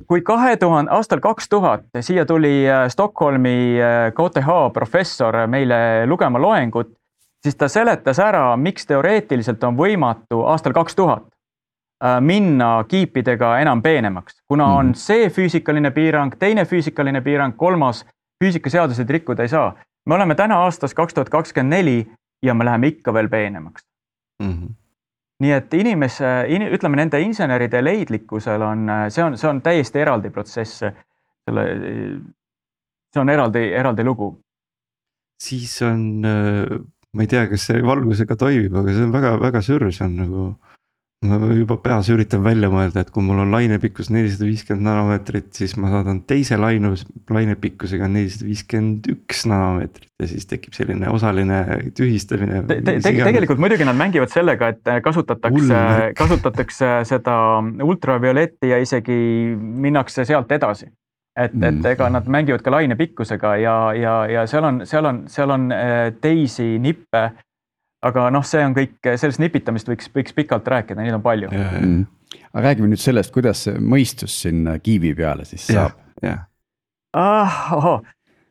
aastal 2000 siia tuli Stockholmi KTH professor meile lugema loengut, siis ta seletas ära, miks teoreetiliselt on võimatu aastal 2000 minna kiipidega enam peenemaks. Kuna on see füüsikaline piirang, teine füüsikaline piirang, 3. füüsikaseadused rikkuda ei saa. Me oleme täna aastas 2024 ja me läheme ikka veel peenemaks. Nii et ütleme, nende inseneride leidlikkusel see on täiesti eraldi protsess. See on eraldi lugu. Siis on, ma ei tea, kas see valgusega toimib, aga see on väga, väga sür, see on nagu, ma juba peas üritan välja mõelda, et kui mul on lainepikkus 450 nanomeetrit, siis ma saadan teise lainepikkusega 451 nanomeetrit ja siis tekib selline osaline tühistamine. Tegelikult muidugi nad mängivad sellega, et kasutatakse seda ultravioletti ja isegi minnakse sealt edasi. Et ega nad mängivad ka lainepikkusega ja seal on teisi nippe. Aga see on kõik, sellest nipitamist võiks pikalt rääkida, neid on palju. Aga räägime nüüd sellest, kuidas see mõistus sinna kiibi peale siis saab.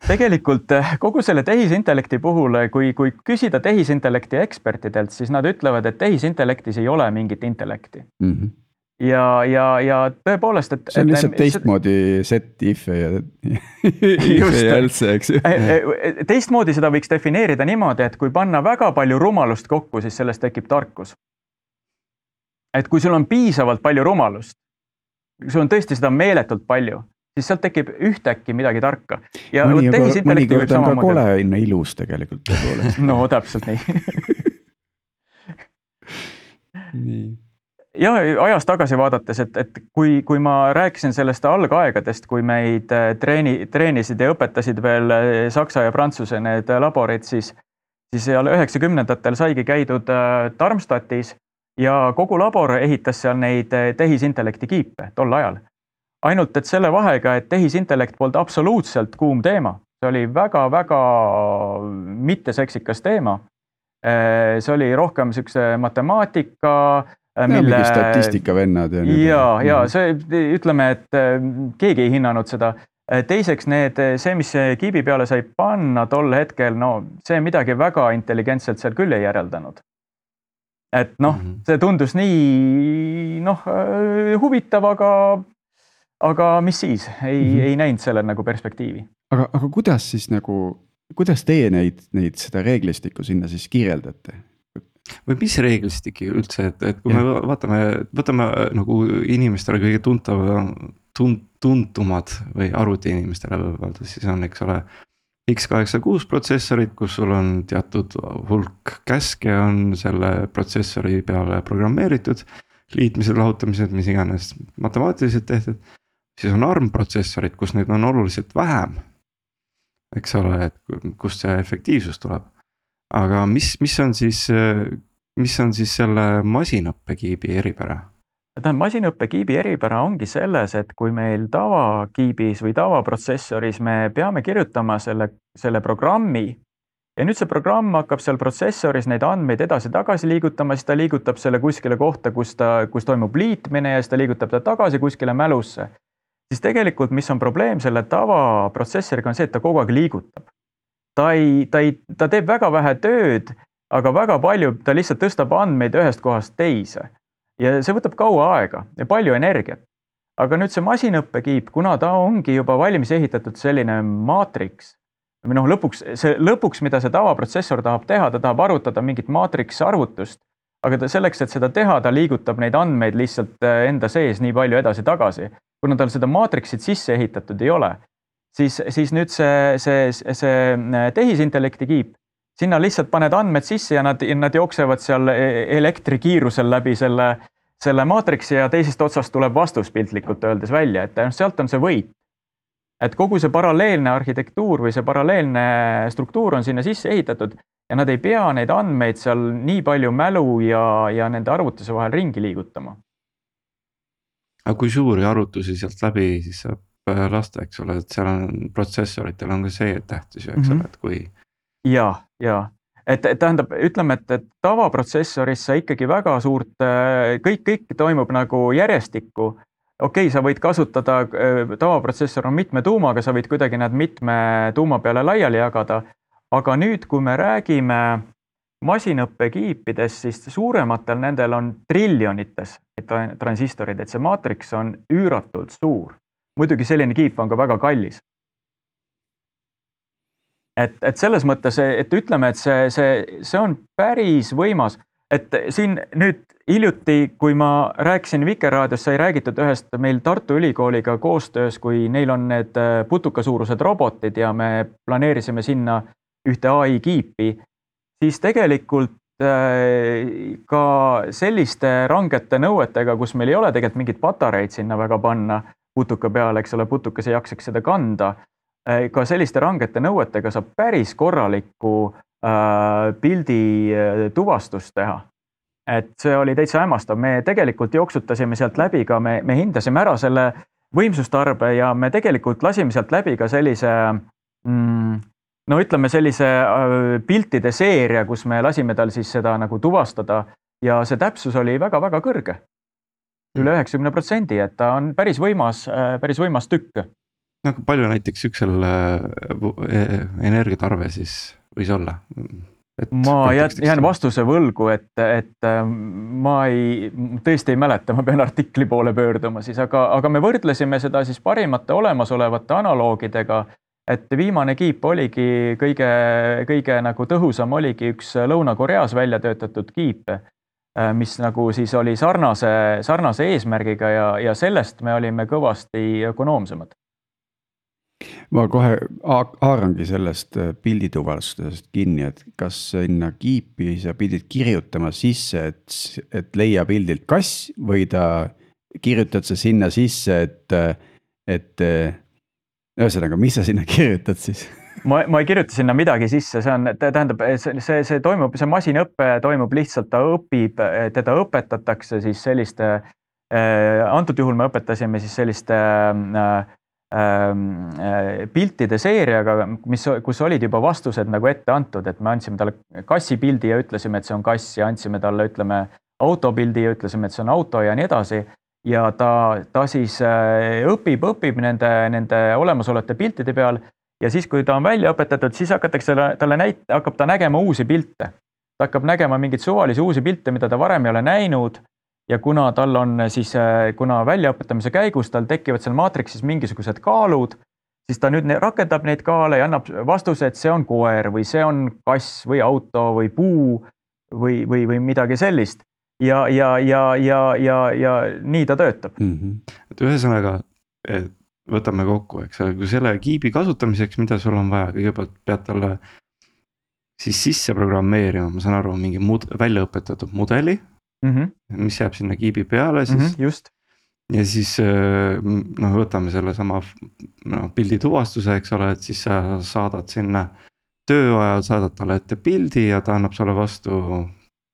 Tegelikult kogu selle tehisintellekti puhul, kui küsida tehisintellekti ekspertidelt, siis nad ütlevad, et tehisintellektis ei ole mingit intellekti. ja tõepoolest, et see on lihtsalt teistmoodi set if'e ja if'e ja else, eks ju. Teistmoodi seda võiks defineerida niimoodi, et kui panna väga palju rumalust kokku, siis sellest tekib tarkus. Et kui sul on piisavalt palju rumalust, sul on tõesti seda meeletult palju, siis sealt tekib ühtäkki midagi tarka. Ja mõnikord on ka kole ilus tegelikult. No täpselt nii. Nii. Ja ajas tagasi vaadates, et kui ma rääkisin sellest algaegadest, kui meid treenisid ja õpetasid veel Saksa ja Prantsuse need laborid, siis 90-ndatel saigi käidud Darmstadtis ja kogu labor ehitas seal neid tehisintellekti kiipe tol ajal. Ainult, et selle vahega, et tehisintellekt polnud absoluutselt kuum teema. See oli väga-väga mitteseksikas teema. See oli rohkem sükse matemaatika, mingi statistika vennad. Ja see, ütleme, et keegi ei hinnanud seda. Teiseks see, mis kiibi peale sai panna tol hetkel, no see midagi väga intelligentselt seal küll ei järeldanud. Et see tundus nii huvitav, aga mis siis? Ei näinud selle nagu perspektiivi. Aga kuidas siis kuidas teie neid seda reeglistikku sinna siis kirjeldate? Või mis reeglistik üldse, et kui me võtame nagu inimestele kõige tuntumad või arvuti inimestele võivad, siis on, eks ole, X86 protsessorid, kus sul on teatud hulk käske on selle protsessori peale programmeeritud, liitmised, lahutamised, mis iganes matemaatiliselt tehtud, siis on ARM protsessorid, kus neid on oluliselt vähem, eks ole, et kust see efektiivsus tuleb. Aga mis on siis selle masinõppekiibi eripära? Masinõppekiibi eripära ongi selles, et kui meil tavakiibis või tavaprotsessoris me peame kirjutama selle programmi ja nüüd see programm hakkab seal protsessoris neid andmeid edasi-tagasi liigutama, siis ta liigutab selle kuskile kohta, kus toimub liitmine ja siis ta liigutab ta tagasi kuskile mälusse. Siis tegelikult, mis on probleem selle tavaprotsessoriga on see, et ta kogu aeg liigutab. Ta teeb väga vähe tööd, aga väga palju, ta lihtsalt tõstab andmeid ühest kohast teise. Ja see võtab kaua aega ja palju energiat. Aga nüüd see masinõppekiip, kuna ta ongi juba valmis ehitatud selline maatriks, või lõpuks, mida see tavaprotsessor tahab teha, ta tahab arvutada mingit maatriks arvutust, aga selleks, et seda teha, ta liigutab neid andmeid lihtsalt enda sees nii palju edasi-tagasi. Kuna tal seda maatriksit sisse ehitatud ei ole, siis nüüd see tehisintellekti kiip, sinna lihtsalt paned andmed sisse ja nad jooksevad seal elektrikiirusel läbi selle maatriksi ja teisest otsast tuleb vastus piltlikult öeldes välja, et sealt on see võit. Et kogu see paralleelne arhitektuur või see paralleelne struktuur on sinna sisse ehitatud ja nad ei pea neid andmeid seal nii palju mälu ja nende arvutuse vahel ringi liigutama. Aga kui suuri arvutusi sealt läbi, siis saab lasta, eks ole, et seal on protsessoritel on ka see tähtis, eks ole, et kui... Ja. Et tähendab, ütleme, et tavaprotsessoris sa ikkagi väga suurt, kõik toimub nagu järjestikku. Okei, sa võid kasutada, tavaprotsessor on mitme tuumaga, sa võid kuidagi nad mitme tuuma peale laiali jagada, aga nüüd, kui me räägime masinõppekiipides, siis suurematel nendel on triljonites transistorid, et see maatriks on üüratult suur. Muidugi selline kiip on ka väga kallis. Et selles mõttes, et ütleme, et see on päris võimas, et siin nüüd hiljuti, kui ma rääkisin Vikerraadios, sai räägitud ühest meil Tartu Ülikooliga koostöös, kui neil on need putukasuurused robotid ja me planeerisime sinna ühte AI kiipi, siis tegelikult ka selliste rangete nõuetega, kus meil ei ole tegelikult mingit patareid sinna väga panna putuka peale, eks ole, putukas ei jaksaks seda kanda, ka selliste rangete nõuetega saab päris korralikku pildi tuvastust teha. Et see oli täitsa hämmastav. Me tegelikult jooksutasime sealt läbi ka, me hindasime ära selle võimsustarbe ja me tegelikult lasime sealt läbi ka sellise, ütleme sellise piltide seeria, kus me lasime tal siis seda nagu tuvastada ja see täpsus oli väga-väga kõrge. Üle 90%, et ta on päris võimas tükk. Palju näiteks üksel energiatarve siis võis olla? Ma jään vastuse võlgu, et ma tõesti ei mäleta, ma pean artikli poole pöörduma siis, aga me võrdlesime seda siis parimate olemasolevate analoogidega, et viimane kiip oligi kõige nagu tõhusam oligi üks Lõuna-Koreas välja töötatud kiip, mis nagu siis oli sarnase eesmärgiga ja sellest me olime kõvasti ökonoomsemad. Ma kohe haarangi sellest pildituvastusest kinni, et kas sinna kiipi sa pidid kirjutama sisse, et leia pildilt kass või ta kirjutad sa sinna sisse, et ühesõnaga, mis sa sinna kirjutad siis? Ma ei kirjuta sinna midagi sisse, tähendab, see toimub, see masinõppe toimub lihtsalt, ta õpib, teda õpetatakse siis selliste, antud juhul me õpetasime siis selliste piltide seeriaga, kus olid juba vastused nagu ette antud, et me andsime talle kassi pildi ja ütlesime, et see on kass ja andsime talle, ütleme, autopildi ja ütlesime, et see on auto ja nii edasi. Ja ta siis õpib nende olemasolevate piltide peal ja siis, kui ta on välja õpetatud, siis hakkab ta nägema uusi pilte. Ta hakkab nägema mingeid suvalisi uusi pilte, mida ta varem ei ole näinud. Ja kuna tal on siis, kuna väljaõpetamise käigus tal tekivad seal maatriksis mingisugused kaalud, siis ta nüüd rakendab neid kaale ja annab vastuse, et see on koer või see on kass või auto või puu või midagi sellist. Ja nii ta töötab. Et ühesõnaga, võtame kokku, eks ole, kui selle kiibi kasutamiseks, mida sul on vaja, kõigepealt pead talle siis sisse programmeerima, ma saan aru, mingi väljaõpetatud mudeli, mis jääb sinna kiibi peale siis. Just. Ja siis võtame selle sama pildi tuvastuse, eks ole, et siis sa saadad sinna töö ajal, saadad talle ette pildi ja ta annab sulle vastu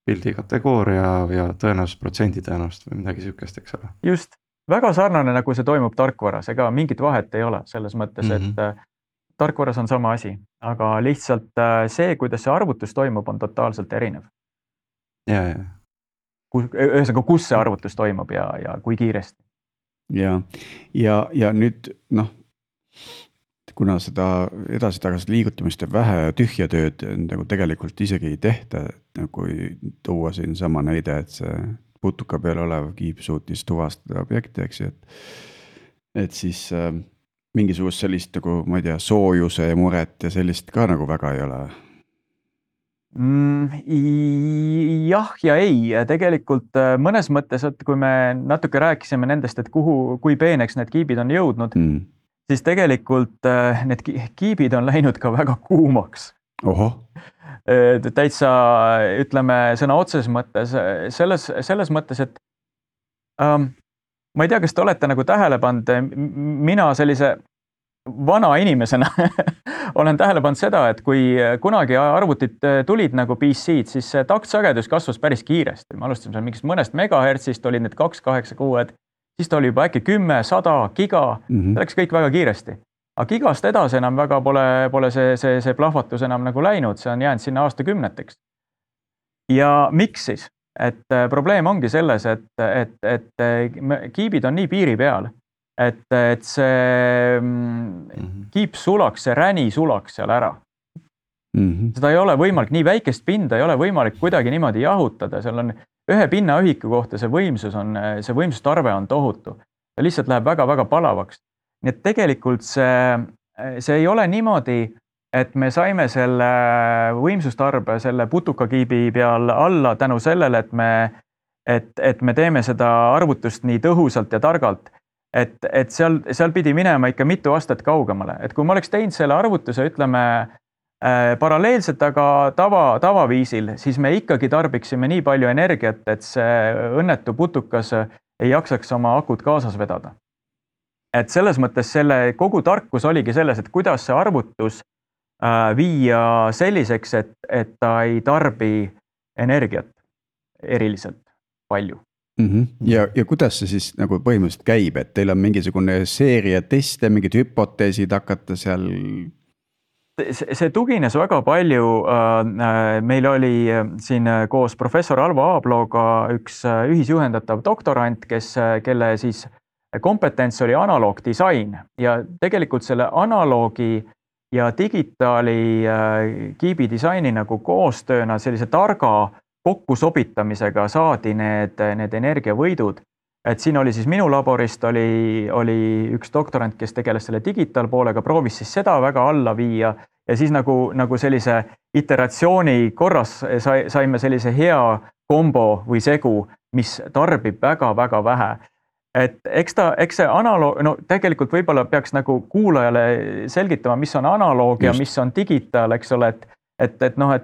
pildi kategooria ja tõenäosusprotsendi tõenäost või midagi sükest, eks ole. Just, väga sarnane, nagu see toimub tarkvaras, ega mingit vahet ei ole selles mõttes, et tarkvaras on sama asi, aga lihtsalt see, kuidas see arvutus toimub, on totaalselt erinev. Ja. Ühesõnaga, kus see arvutus toimub ja kui kiiresti. Ja nüüd, kuna seda edasi-tagasi liigutamist ja vähe tühja tööd nagu tegelikult isegi ei tehta, kui tuua siin sama näide, et see putuka peal olev kiip suutis tuvastada objekti, eks ju, et siis mingisugust sellist nagu, ma ei tea, soojuse ja muret ja sellist ka nagu väga ei ole. Jah ja ei, tegelikult mõnes mõttes, et kui me natuke rääkisime nendest, et kui peeneks need kiibid on jõudnud, siis tegelikult need kiibid on läinud ka väga kuumaks. Täitsa, ütleme, sõna otses mõttes, selles mõttes, et ma ei tea, kas te olete nagu tähele pannud, mina sellise vana inimesena olen tähele pannud seda, et kui kunagi arvutid tulid nagu PC-d, siis taktsagedus kasvas päris kiiresti. Me alustasime seal mingist mõnest megahertsist, olid need 286, siis ta oli juba äkki 10, 100 giga, see läks kõik väga kiiresti. Aga gigast edasi enam väga pole see plahvatus enam nagu läinud, see on jäänud sinna aastakümneteks. Ja miks siis? Et probleem ongi selles, et kiibid on nii piiri peal, et see kiip sulaks, see räni sulaks seal ära. Seda ei ole võimalik, nii väikest pinda ei ole võimalik kuidagi niimoodi jahutada, seal on ühe pinnaühiku kohta see võimsustarve on tohutu. Ta lihtsalt läheb väga-väga palavaks. Nii et tegelikult see ei ole niimoodi, et me saime selle võimsustarbe selle putukakiibi peal alla tänu sellele, et me teeme seda arvutust nii tõhusalt ja targalt. Et seal pidi minema ikka mitu aastat kaugemale. Et kui ma oleks teinud selle arvutuse, ütleme, paralleelselt, aga tavaviisil, siis me ikkagi tarbiksime nii palju energiat, et see õnnetu putukas ei jaksaks oma akut kaasas vedada. Et selles mõttes selle kogu tarkus oligi selles, et kuidas see arvutus viia selliseks, et ta ei tarbi energiat eriliselt palju. Ja kuidas see siis nagu põhimõtteliselt käib, et teil on mingisugune seeria teste, mingid hüpoteesid hakata seal? See tugines väga palju, meil oli siin koos professor Alvo Aablooga üks ühisjuhendatav doktorant, kelle siis kompetents oli analoogdisain ja tegelikult selle analoogi ja digitaali kiibi disaini nagu koostööna sellise targa kokkusobitamisega saadi need energiavõidud. Et siin oli siis minu laborist oli üks doktorant, kes tegeles selle digitaalpoolega, proovis siis seda väga alla viia ja siis nagu sellise iteratsiooni korras saime sellise hea kombo või segu, mis tarbib väga-väga vähe. Et eks see analoog, no tegelikult võib-olla peaks nagu kuulajale selgitama, mis on analoog ja mis on digitaal, eks ole, et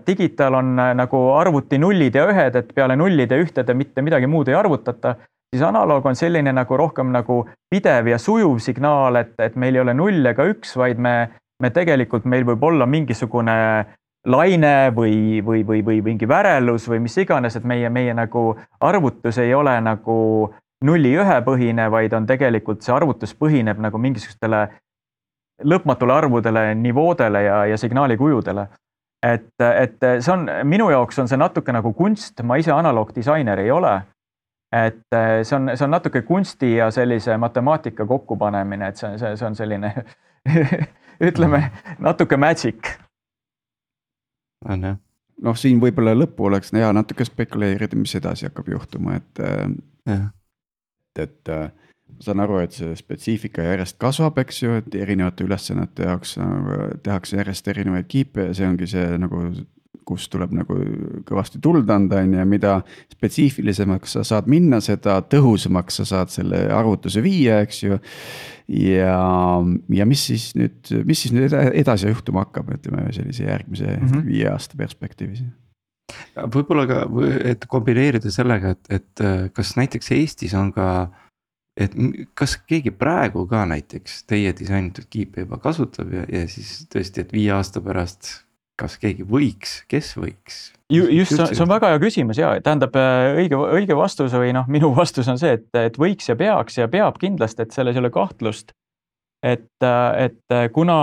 digitaal on nagu arvuti nullid ja ühed, et peale nullide ja ühtede mitte midagi muud ei arvutata, siis analoog on selline nagu rohkem nagu pidev ja sujuv signaal, et meil ei ole null ega üks, vaid me tegelikult meil võib olla mingisugune laine või mingi värelus või mis iganes, et meie nagu arvutus ei ole nagu 0-1 põhine, vaid on tegelikult see arvutus põhineb nagu mingisugustele lõpmatule arvudele, nivoodele ja signaalikujudele. Et see on, minu jaoks on see natuke nagu kunst, ma ise analoogdisainer ei ole. Et see on natuke kunsti ja sellise matemaatika kokkupanemine, et see on selline, ütleme, natuke magic. Noh, siin võib-olla lõppu oleks hea natuke spekuleerida, mis edasi hakkab juhtuma, et ma saan aru, et see spetsiifika järjest kasvab, eks ju, et erinevate ülesannete jaoks tehakse järjest erinevaid kiipe ja see ongi see nagu, kus tuleb nagu kõvasti tuld anda, ja mida spetsiifilisemaks sa saad minna, seda tõhusamaks sa saad selle arvutuse viia, eks ju. Ja mis siis nüüd edasi juhtuma hakkab, ütleme sellise järgmise 5 aasta perspektiivis? Võib-olla ka, et kombineerida sellega, et kas näiteks Eestis on ka, et kas keegi praegu ka näiteks teie disainitud kiipe juba kasutab ja siis tõesti, et 5 aasta pärast, kas keegi võiks, kes võiks? Just, see on väga hea küsimus ja tähendab õige vastus või minu vastus on see, et võiks ja peaks ja peab kindlasti, et selles ei ole kahtlust. Et kuna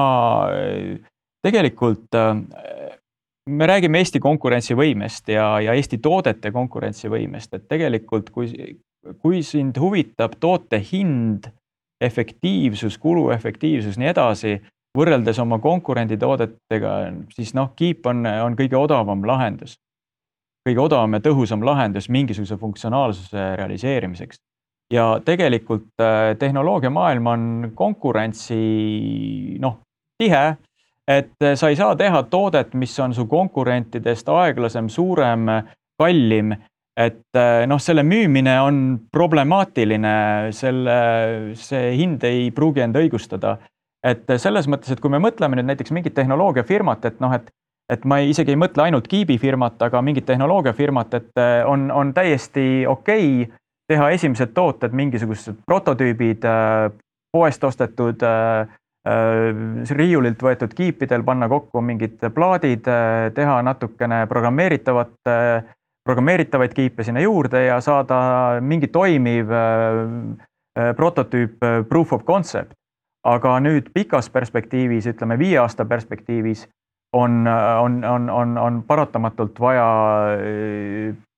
tegelikult me räägime Eesti konkurentsivõimest ja Eesti toodete konkurentsivõimest, et tegelikult kui sind huvitab toote hind, efektiivsus, kuluefektiivsus, nii edasi, võrreldes oma konkurenditoodetega, siis kiip on kõige odavam lahendus. Kõige odavam ja tõhusam lahendus mingisuguse funktsionaalsuse realiseerimiseks. Ja tegelikult tehnoloogia maailm on konkurentsi tihe, et sa ei saa teha toodet, mis on su konkurentidest aeglasem, suurem, kallim, et selle müümine on problemaatiline, see hind ei pruugi end õigustada. Et selles mõttes, et kui me mõtleme nüüd näiteks mingit tehnoloogiafirmat, et ma isegi ei mõtle ainult kiibifirmat, aga mingit tehnoloogiafirmat, et on täiesti okei teha esimesed tooted, mingisugused prototüübid, poest ostetud, riiulilt võetud kiipidel, panna kokku mingid plaadid, teha natukene programmeeritavaid kiipe sinna juurde ja saada mingi toimiv prototüüp, proof of concept. Aga nüüd pikas perspektiivis, ütleme 5 aasta perspektiivis, on paratamatult vaja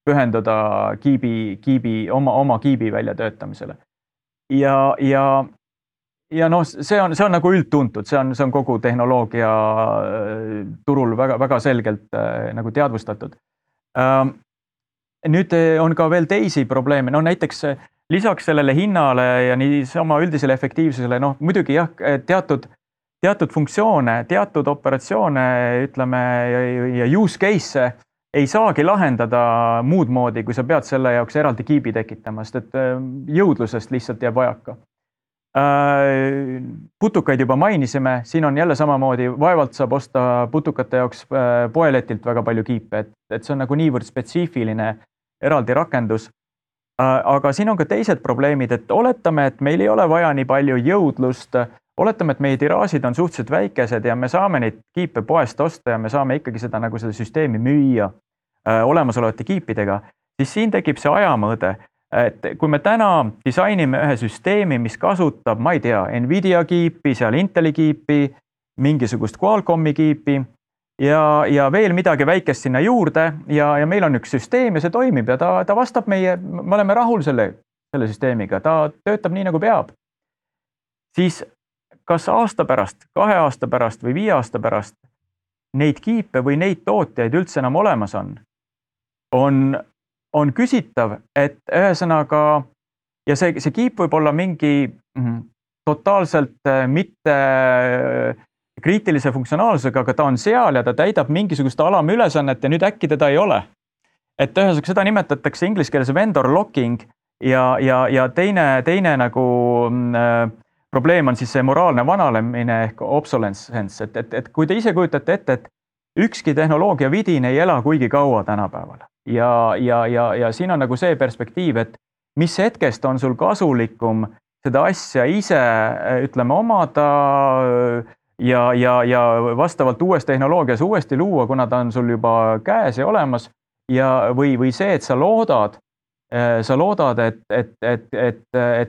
pühendada oma kiibi väljatöötamisele. Ja see on nagu üldtuntud, see on kogu tehnoloogia turul väga selgelt nagu teadvustatud. Nüüd on ka veel teisi probleeme, näiteks lisaks sellele hinnale ja niisama üldisele efektiivsusele, muidugi jah, teatud funktsioone, teatud operatsioone, ütleme, ja use case ei saagi lahendada muud moodi, kui sa pead selle jaoks eraldi kiibi tekitama, sest et jõudlusest lihtsalt jääb vajaka. Putukaid juba mainisime, siin on jälle samamoodi, vaevalt saab osta putukate jaoks poeletilt väga palju kiipe, et see on nagu niivõrd spetsiifiline eraldi rakendus. Aga siin on ka teised probleemid, et oletame, et meil ei ole vaja nii palju jõudlust, oletame, et meie tiraažid on suhteliselt väikesed ja me saame neid kiipe poest osta ja me saame ikkagi seda süsteemi müüa olemasolevate kiipidega, siis siin tekib see ajamõõde. Et kui me täna disainime ühe süsteemi, mis kasutab, ma ei tea, Nvidia kiipi, seal Inteli kiipi, mingisugust Qualcommi kiipi ja veel midagi väikest sinna juurde ja meil on üks süsteem ja see toimib ja ta vastab me oleme rahul selle süsteemiga, ta töötab nii nagu peab. Siis kas aasta pärast, 2 aasta pärast või 5 aasta pärast neid kiipe või neid tootjaid üldse enam olemas on küsitav, et ühesõnaga ja see kiip võib olla mingi totaalselt mitte kriitilise funktsionaalsusega, aga ta on seal ja ta täidab mingisugust alamülesannet ja nüüd äkki teda ei ole. Et ühesõnaga seda nimetatakse inglise keeles vendor locking ja teine nagu probleem on siis see moraalne vanalemine ehk obsolescence, et kui te ise kujutate ette, et ükski tehnoloogia vidin ei ela kuigi kaua tänapäeval ja siin on nagu see perspektiiv, et mis hetkest on sul kasulikum seda asja ise, ütleme, omada ja vastavalt uues tehnoloogias uuesti luua, kuna ta on sul juba käes ja olemas või see, et sa loodad, et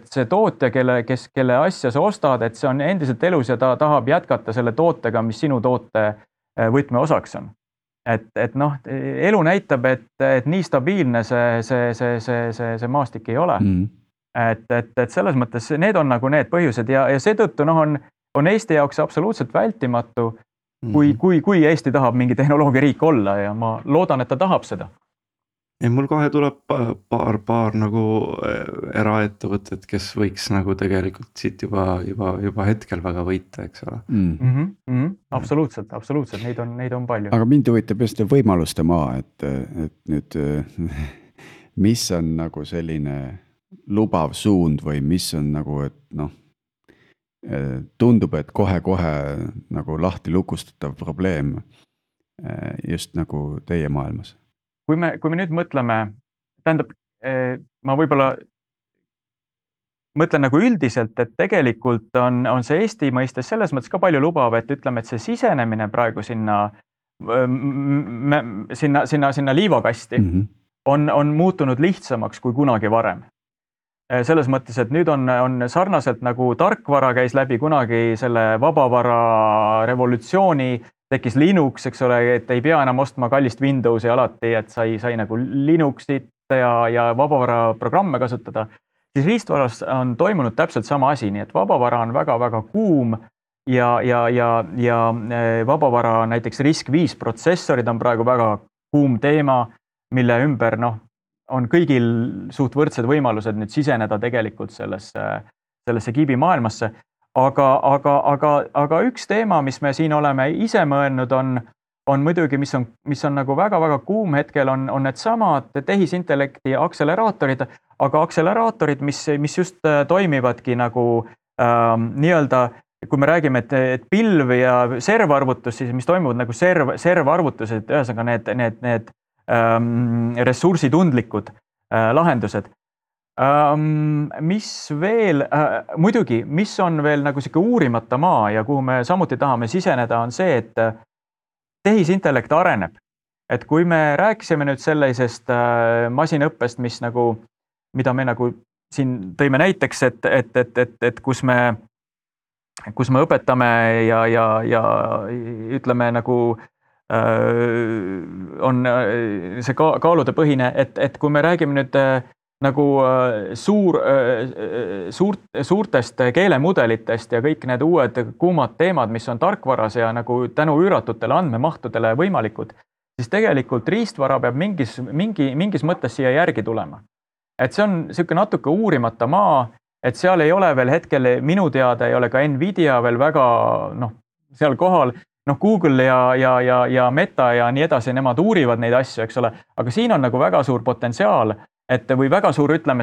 see tootja, kelle asja sa ostad, et see on endiselt elus ja ta tahab jätkata selle tootega, mis sinu toote võtmeosaks on. Et noh, elu näitab, et nii stabiilne see maastik ei ole. Et selles mõttes need on nagu need põhjused ja seetõttu on Eesti jaoks absoluutselt vältimatu, kui Eesti tahab mingi tehnoloogiariik olla ja ma loodan, et ta tahab seda. Ja mul kohe tuleb paar nagu eraettevõtted, kes võiks nagu tegelikult siit juba hetkel väga võita, eks ole. Absoluutselt, neid on palju. Aga mind huvitab just võimaluste maa, et nüüd, mis on nagu selline lubav suund või mis on nagu, et noh, tundub, et kohe nagu lahti lukustatav probleem just nagu teie maailmas. Kui me nüüd mõtleme, tähendab, ma võib-olla mõtlen nagu üldiselt, et tegelikult on see Eesti mõistes selles mõttes ka palju lubav, et ütleme, et see sisenemine praegu sinna liivakasti on muutunud lihtsamaks kui kunagi varem. Selles mõttes, et nüüd on sarnaselt nagu tarkvara käis läbi kunagi selle vabavara revolutsiooni, tekkis Linux, eks ole, et ei pea enam ostma kallist Windowsi alati, et sai nagu Linuxit ja vabavara programme kasutada, siis riistvaras on toimunud täpselt sama asi, nii et vabavara on väga-väga kuum ja vabavara näiteks RISC-V protsessorid on praegu väga kuum teema, mille ümber on kõigil suht võrdsed võimalused nüüd siseneda tegelikult sellesse kiibimaailmasse. Aga üks teema, mis me siin oleme ise mõelnud, on muidugi, mis on nagu väga-väga kuum hetkel, on need samad tehisintellekti akseleraatorid, aga akseleraatorid, mis just toimivadki nagu nii-öelda, kui me räägime, et pilv ja servarvutus, siis mis toimuvad nagu servarvutused, ühesõnaga need ressursitundlikud lahendused. Mis veel, muidugi, mis on veel nagu siuke uurimata maa ja kuhu me samuti tahame siseneda, on see, et tehisintellekt areneb. Et kui me rääkisime nüüd sellisest masinõppest, mida me nagu siin tõime näiteks, et kus me õpetame ja ütleme nagu on see kaaludepõhine, et kui me räägime nüüd nagu suurtest keelemudelitest ja kõik need uued kuumad teemad, mis on tarkvaras ja nagu tänu üüratutele andmemahtudele võimalikud, siis tegelikult riistvara peab mingis mõttes siia järgi tulema. Et see on siuke natuke uurimata maa, et seal ei ole veel hetkel, minu teada ei ole ka Nvidia veel väga seal kohal, Google ja Meta ja nii edasi, nemad uurivad neid asju, eks ole, aga siin on nagu väga suur potentsiaal, et või väga suur, ütleme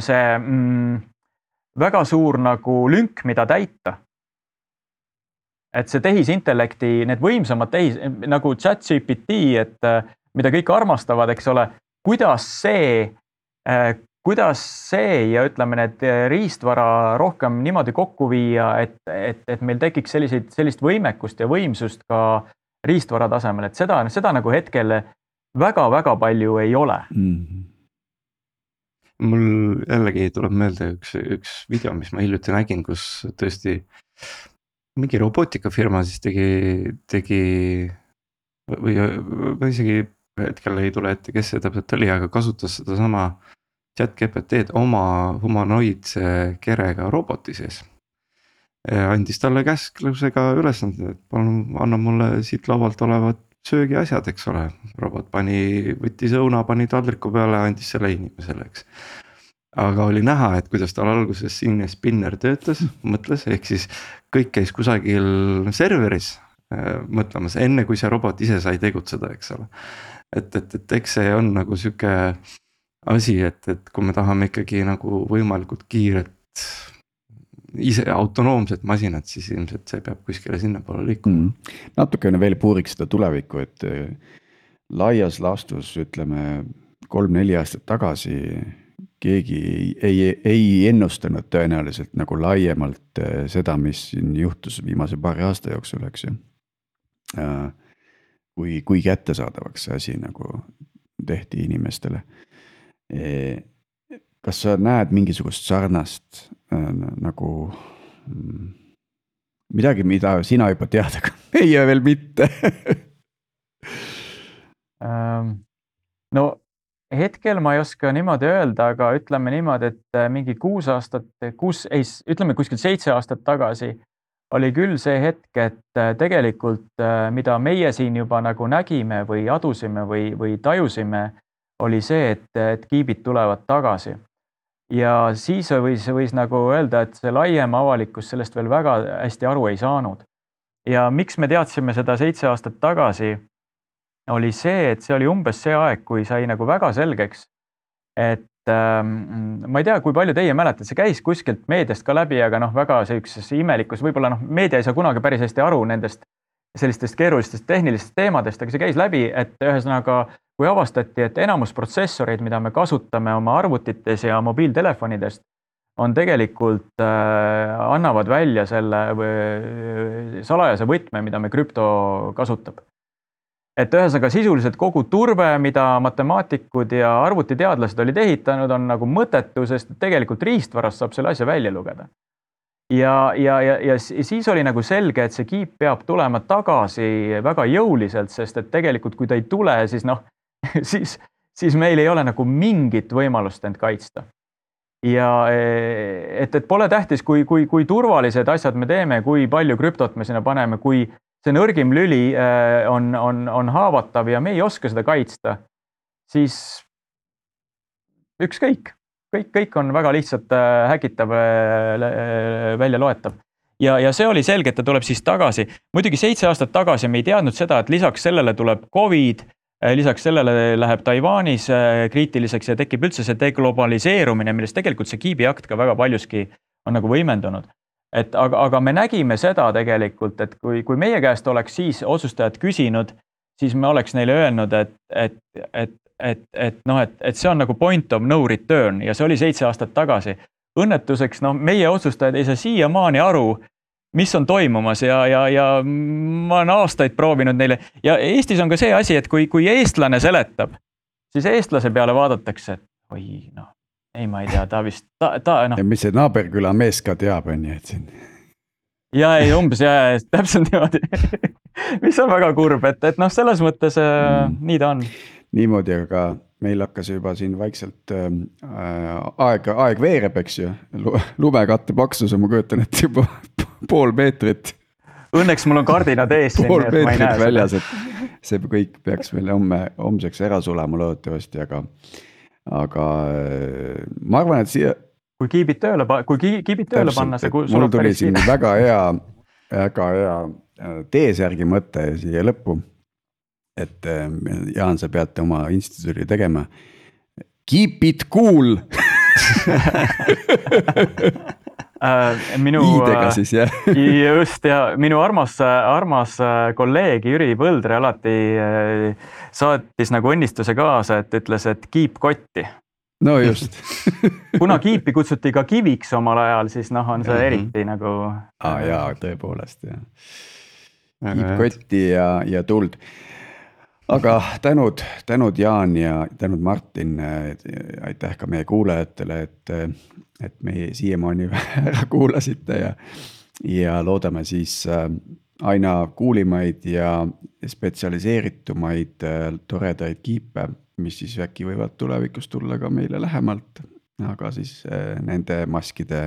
väga suur nagu lünk, mida täita. Et see tehisintellekti, need võimsamad nagu ChatGPT, et mida kõik armastavad, eks ole, kuidas see ja ütleme need riistvara rohkem niimoodi kokku viia, et meil tekiks sellist võimekust ja võimsust ka riistvara tasemel, et seda nagu hetkel väga-väga palju ei ole. Mul jällegi tuleb meelde üks video, mis ma hiljuti nägin, kus tõesti mingi robootikafirma siis tegi või isegi hetkel ei tule ette, kes see täpselt oli, aga kasutas seda sama ChatGPT-d oma humanoidse kerega roboti sees. andis talle käsklusega ülesanded, et palun anna mulle siit laualt olevad söögiasjad, eks ole. Robot võttis õuna, pani taldriku peale, andis selle inimesele, eks. Aga oli näha, et kuidas tal alguses sinne spinner töötas, mõtles, ehk siis kõik käis kusagil serveris mõtlemas, enne kui see robot ise sai tegutseda, eks ole. Et eks see on nagu sihuke asi, et kui me tahame ikkagi nagu võimalikult kiiret ise autonoomset masinat, siis ilmselt see peab kuskile sinna poole liikuma. Natukene veel puuriks seda tulevikku, et laias laastus ütleme 3-4 aastat tagasi keegi ei ennustanud tõenäoliselt nagu laiemalt seda, mis siin juhtus viimase paari aasta jooksul, eks ju. Kui kättesaadavaks see asi nagu tehti inimestele. Kas sa näed mingisugust sarnast nagu midagi, mida sina juba tead, aga meie veel mitte? No hetkel ma ei oska niimoodi öelda, aga ütleme niimoodi, et mingi 6 aastat, ütleme kuskil 7 aastat tagasi oli küll see hetk, et tegelikult mida meie siin juba nagu nägime või adusime või tajusime, oli see, et kiibid tulevad tagasi. Ja siis võis nagu öelda, et see laiem avalikkus sellest veel väga hästi aru ei saanud. Ja miks me teadsime seda 7 aastat tagasi, oli see, et see oli umbes see aeg, kui sai nagu väga selgeks, et ma ei tea, kui palju teie mäletad, see käis kuskilt meediast ka läbi, aga väga sellises imelikus, võib-olla meedia ei saa kunagi päris hästi aru nendest sellistest keerulistest tehnilistest teemadest, aga see käis läbi, et ühesõnaga, kui avastati, et enamus protsessoreid, mida me kasutame oma arvutites ja mobiiltelefonidest, on tegelikult, annavad välja selle salajase võtme, mida me krüpto kasutab. Et ühesõnaga sisuliselt kogu turbe, mida matemaatikud ja arvutiteadlased olid ehitanud, on nagu mõttetu, sest tegelikult riistvarast saab selle asja välja lugeda. Ja siis oli nagu selge, et see kiip peab tulema tagasi väga jõuliselt, sest et tegelikult kui ta ei tule, siis siis meil ei ole nagu mingit võimalust end kaitsta. Ja et pole tähtis, kui turvalised asjad me teeme, kui palju krüptot me sinna paneme, kui see nõrgim lüli on haavatav ja me ei oska seda kaitsta, siis ükskõik. Kõik on väga lihtsalt häkitav, välja loetav. Ja see oli selge, et ta tuleb siis tagasi. Muidugi 7 aastat tagasi me ei teadnud seda, et lisaks sellele tuleb COVID, lisaks sellele läheb Taiwanis kriitiliseks ja tekib üldse see deglobaliseerumine, millest tegelikult see kiibiakt ka väga paljuski on nagu võimendunud. Aga me nägime seda tegelikult, et kui meie käest oleks siis otsustajad küsinud, siis me oleks neile öelnud, et see on nagu point of no return ja see oli 7 aastat tagasi. Õnnetuseks, meie otsustajad ei saa siiamaani aru, mis on toimumas ja ma olen aastaid proovinud neile. Ja Eestis on ka see asi, et kui eestlane seletab, siis eestlase peale vaadatakse, et ei, ma ei tea, ta vist, Ja mis see naaberküla mees ka teab, on ju, et siin. Ja ei, umbes, ja täpselt niimoodi, mis on väga kurb, et selles mõttes nii ta on. Niimoodi, aga meil hakkas juba siin vaikselt aeg veereb, eks ju, lumekatte paksus, ma kujutan, et juba pool meetrit. Õnneks mul on kardinad ees siin, pool meetrit väljas, et see kõik peaks meil homseks ära sulema loodetavasti, aga ma arvan, et siia kui kiibid tööle panna, see mul tuli siin väga hea teesärgi mõte siia lõppu, et Jaan, sa peate oma instituudi tegema. Keep it cool! Iidega siis, jah. Just, ja minu armas kolleeg Jüri Põldre alati saatis nagu õnnistuse kaasa, et ütles, et keep kotti. No just. Kuna kiipi kutsuti ka kiviks omal ajal, siis on see eriti nagu... Jaa, tõepoolest, jah. Keep kotti ja tuld. Aga tänud Jaan ja tänud Martin, aitäh ka meie kuulajatele, et me siiamaani ära kuulasite ja loodame siis aina kuulimaid ja spetsialiseeritumaid toredaid kiipe, mis siis äkki võivad tulevikus tulla ka meile lähemalt, aga siis nende maskide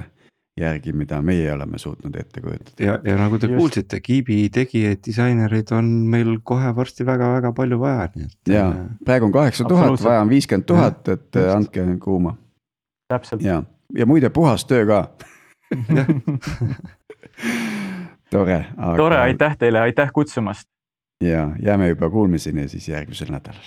järgi, mida meie oleme suutnud ette kujutada. ja nagu te kuulsite, kiibi tegijaid, disainerid on meil kohe varsti väga-väga palju vaja. Ja praegu on 8000, vaja on 50 000, et andke kuuma. Täpselt. Ja muide puhas töö ka. Tore. Tore, aitäh teile, aitäh kutsumast. Ja jääme juba kuulmiseni ja siis järgmisel nädalal.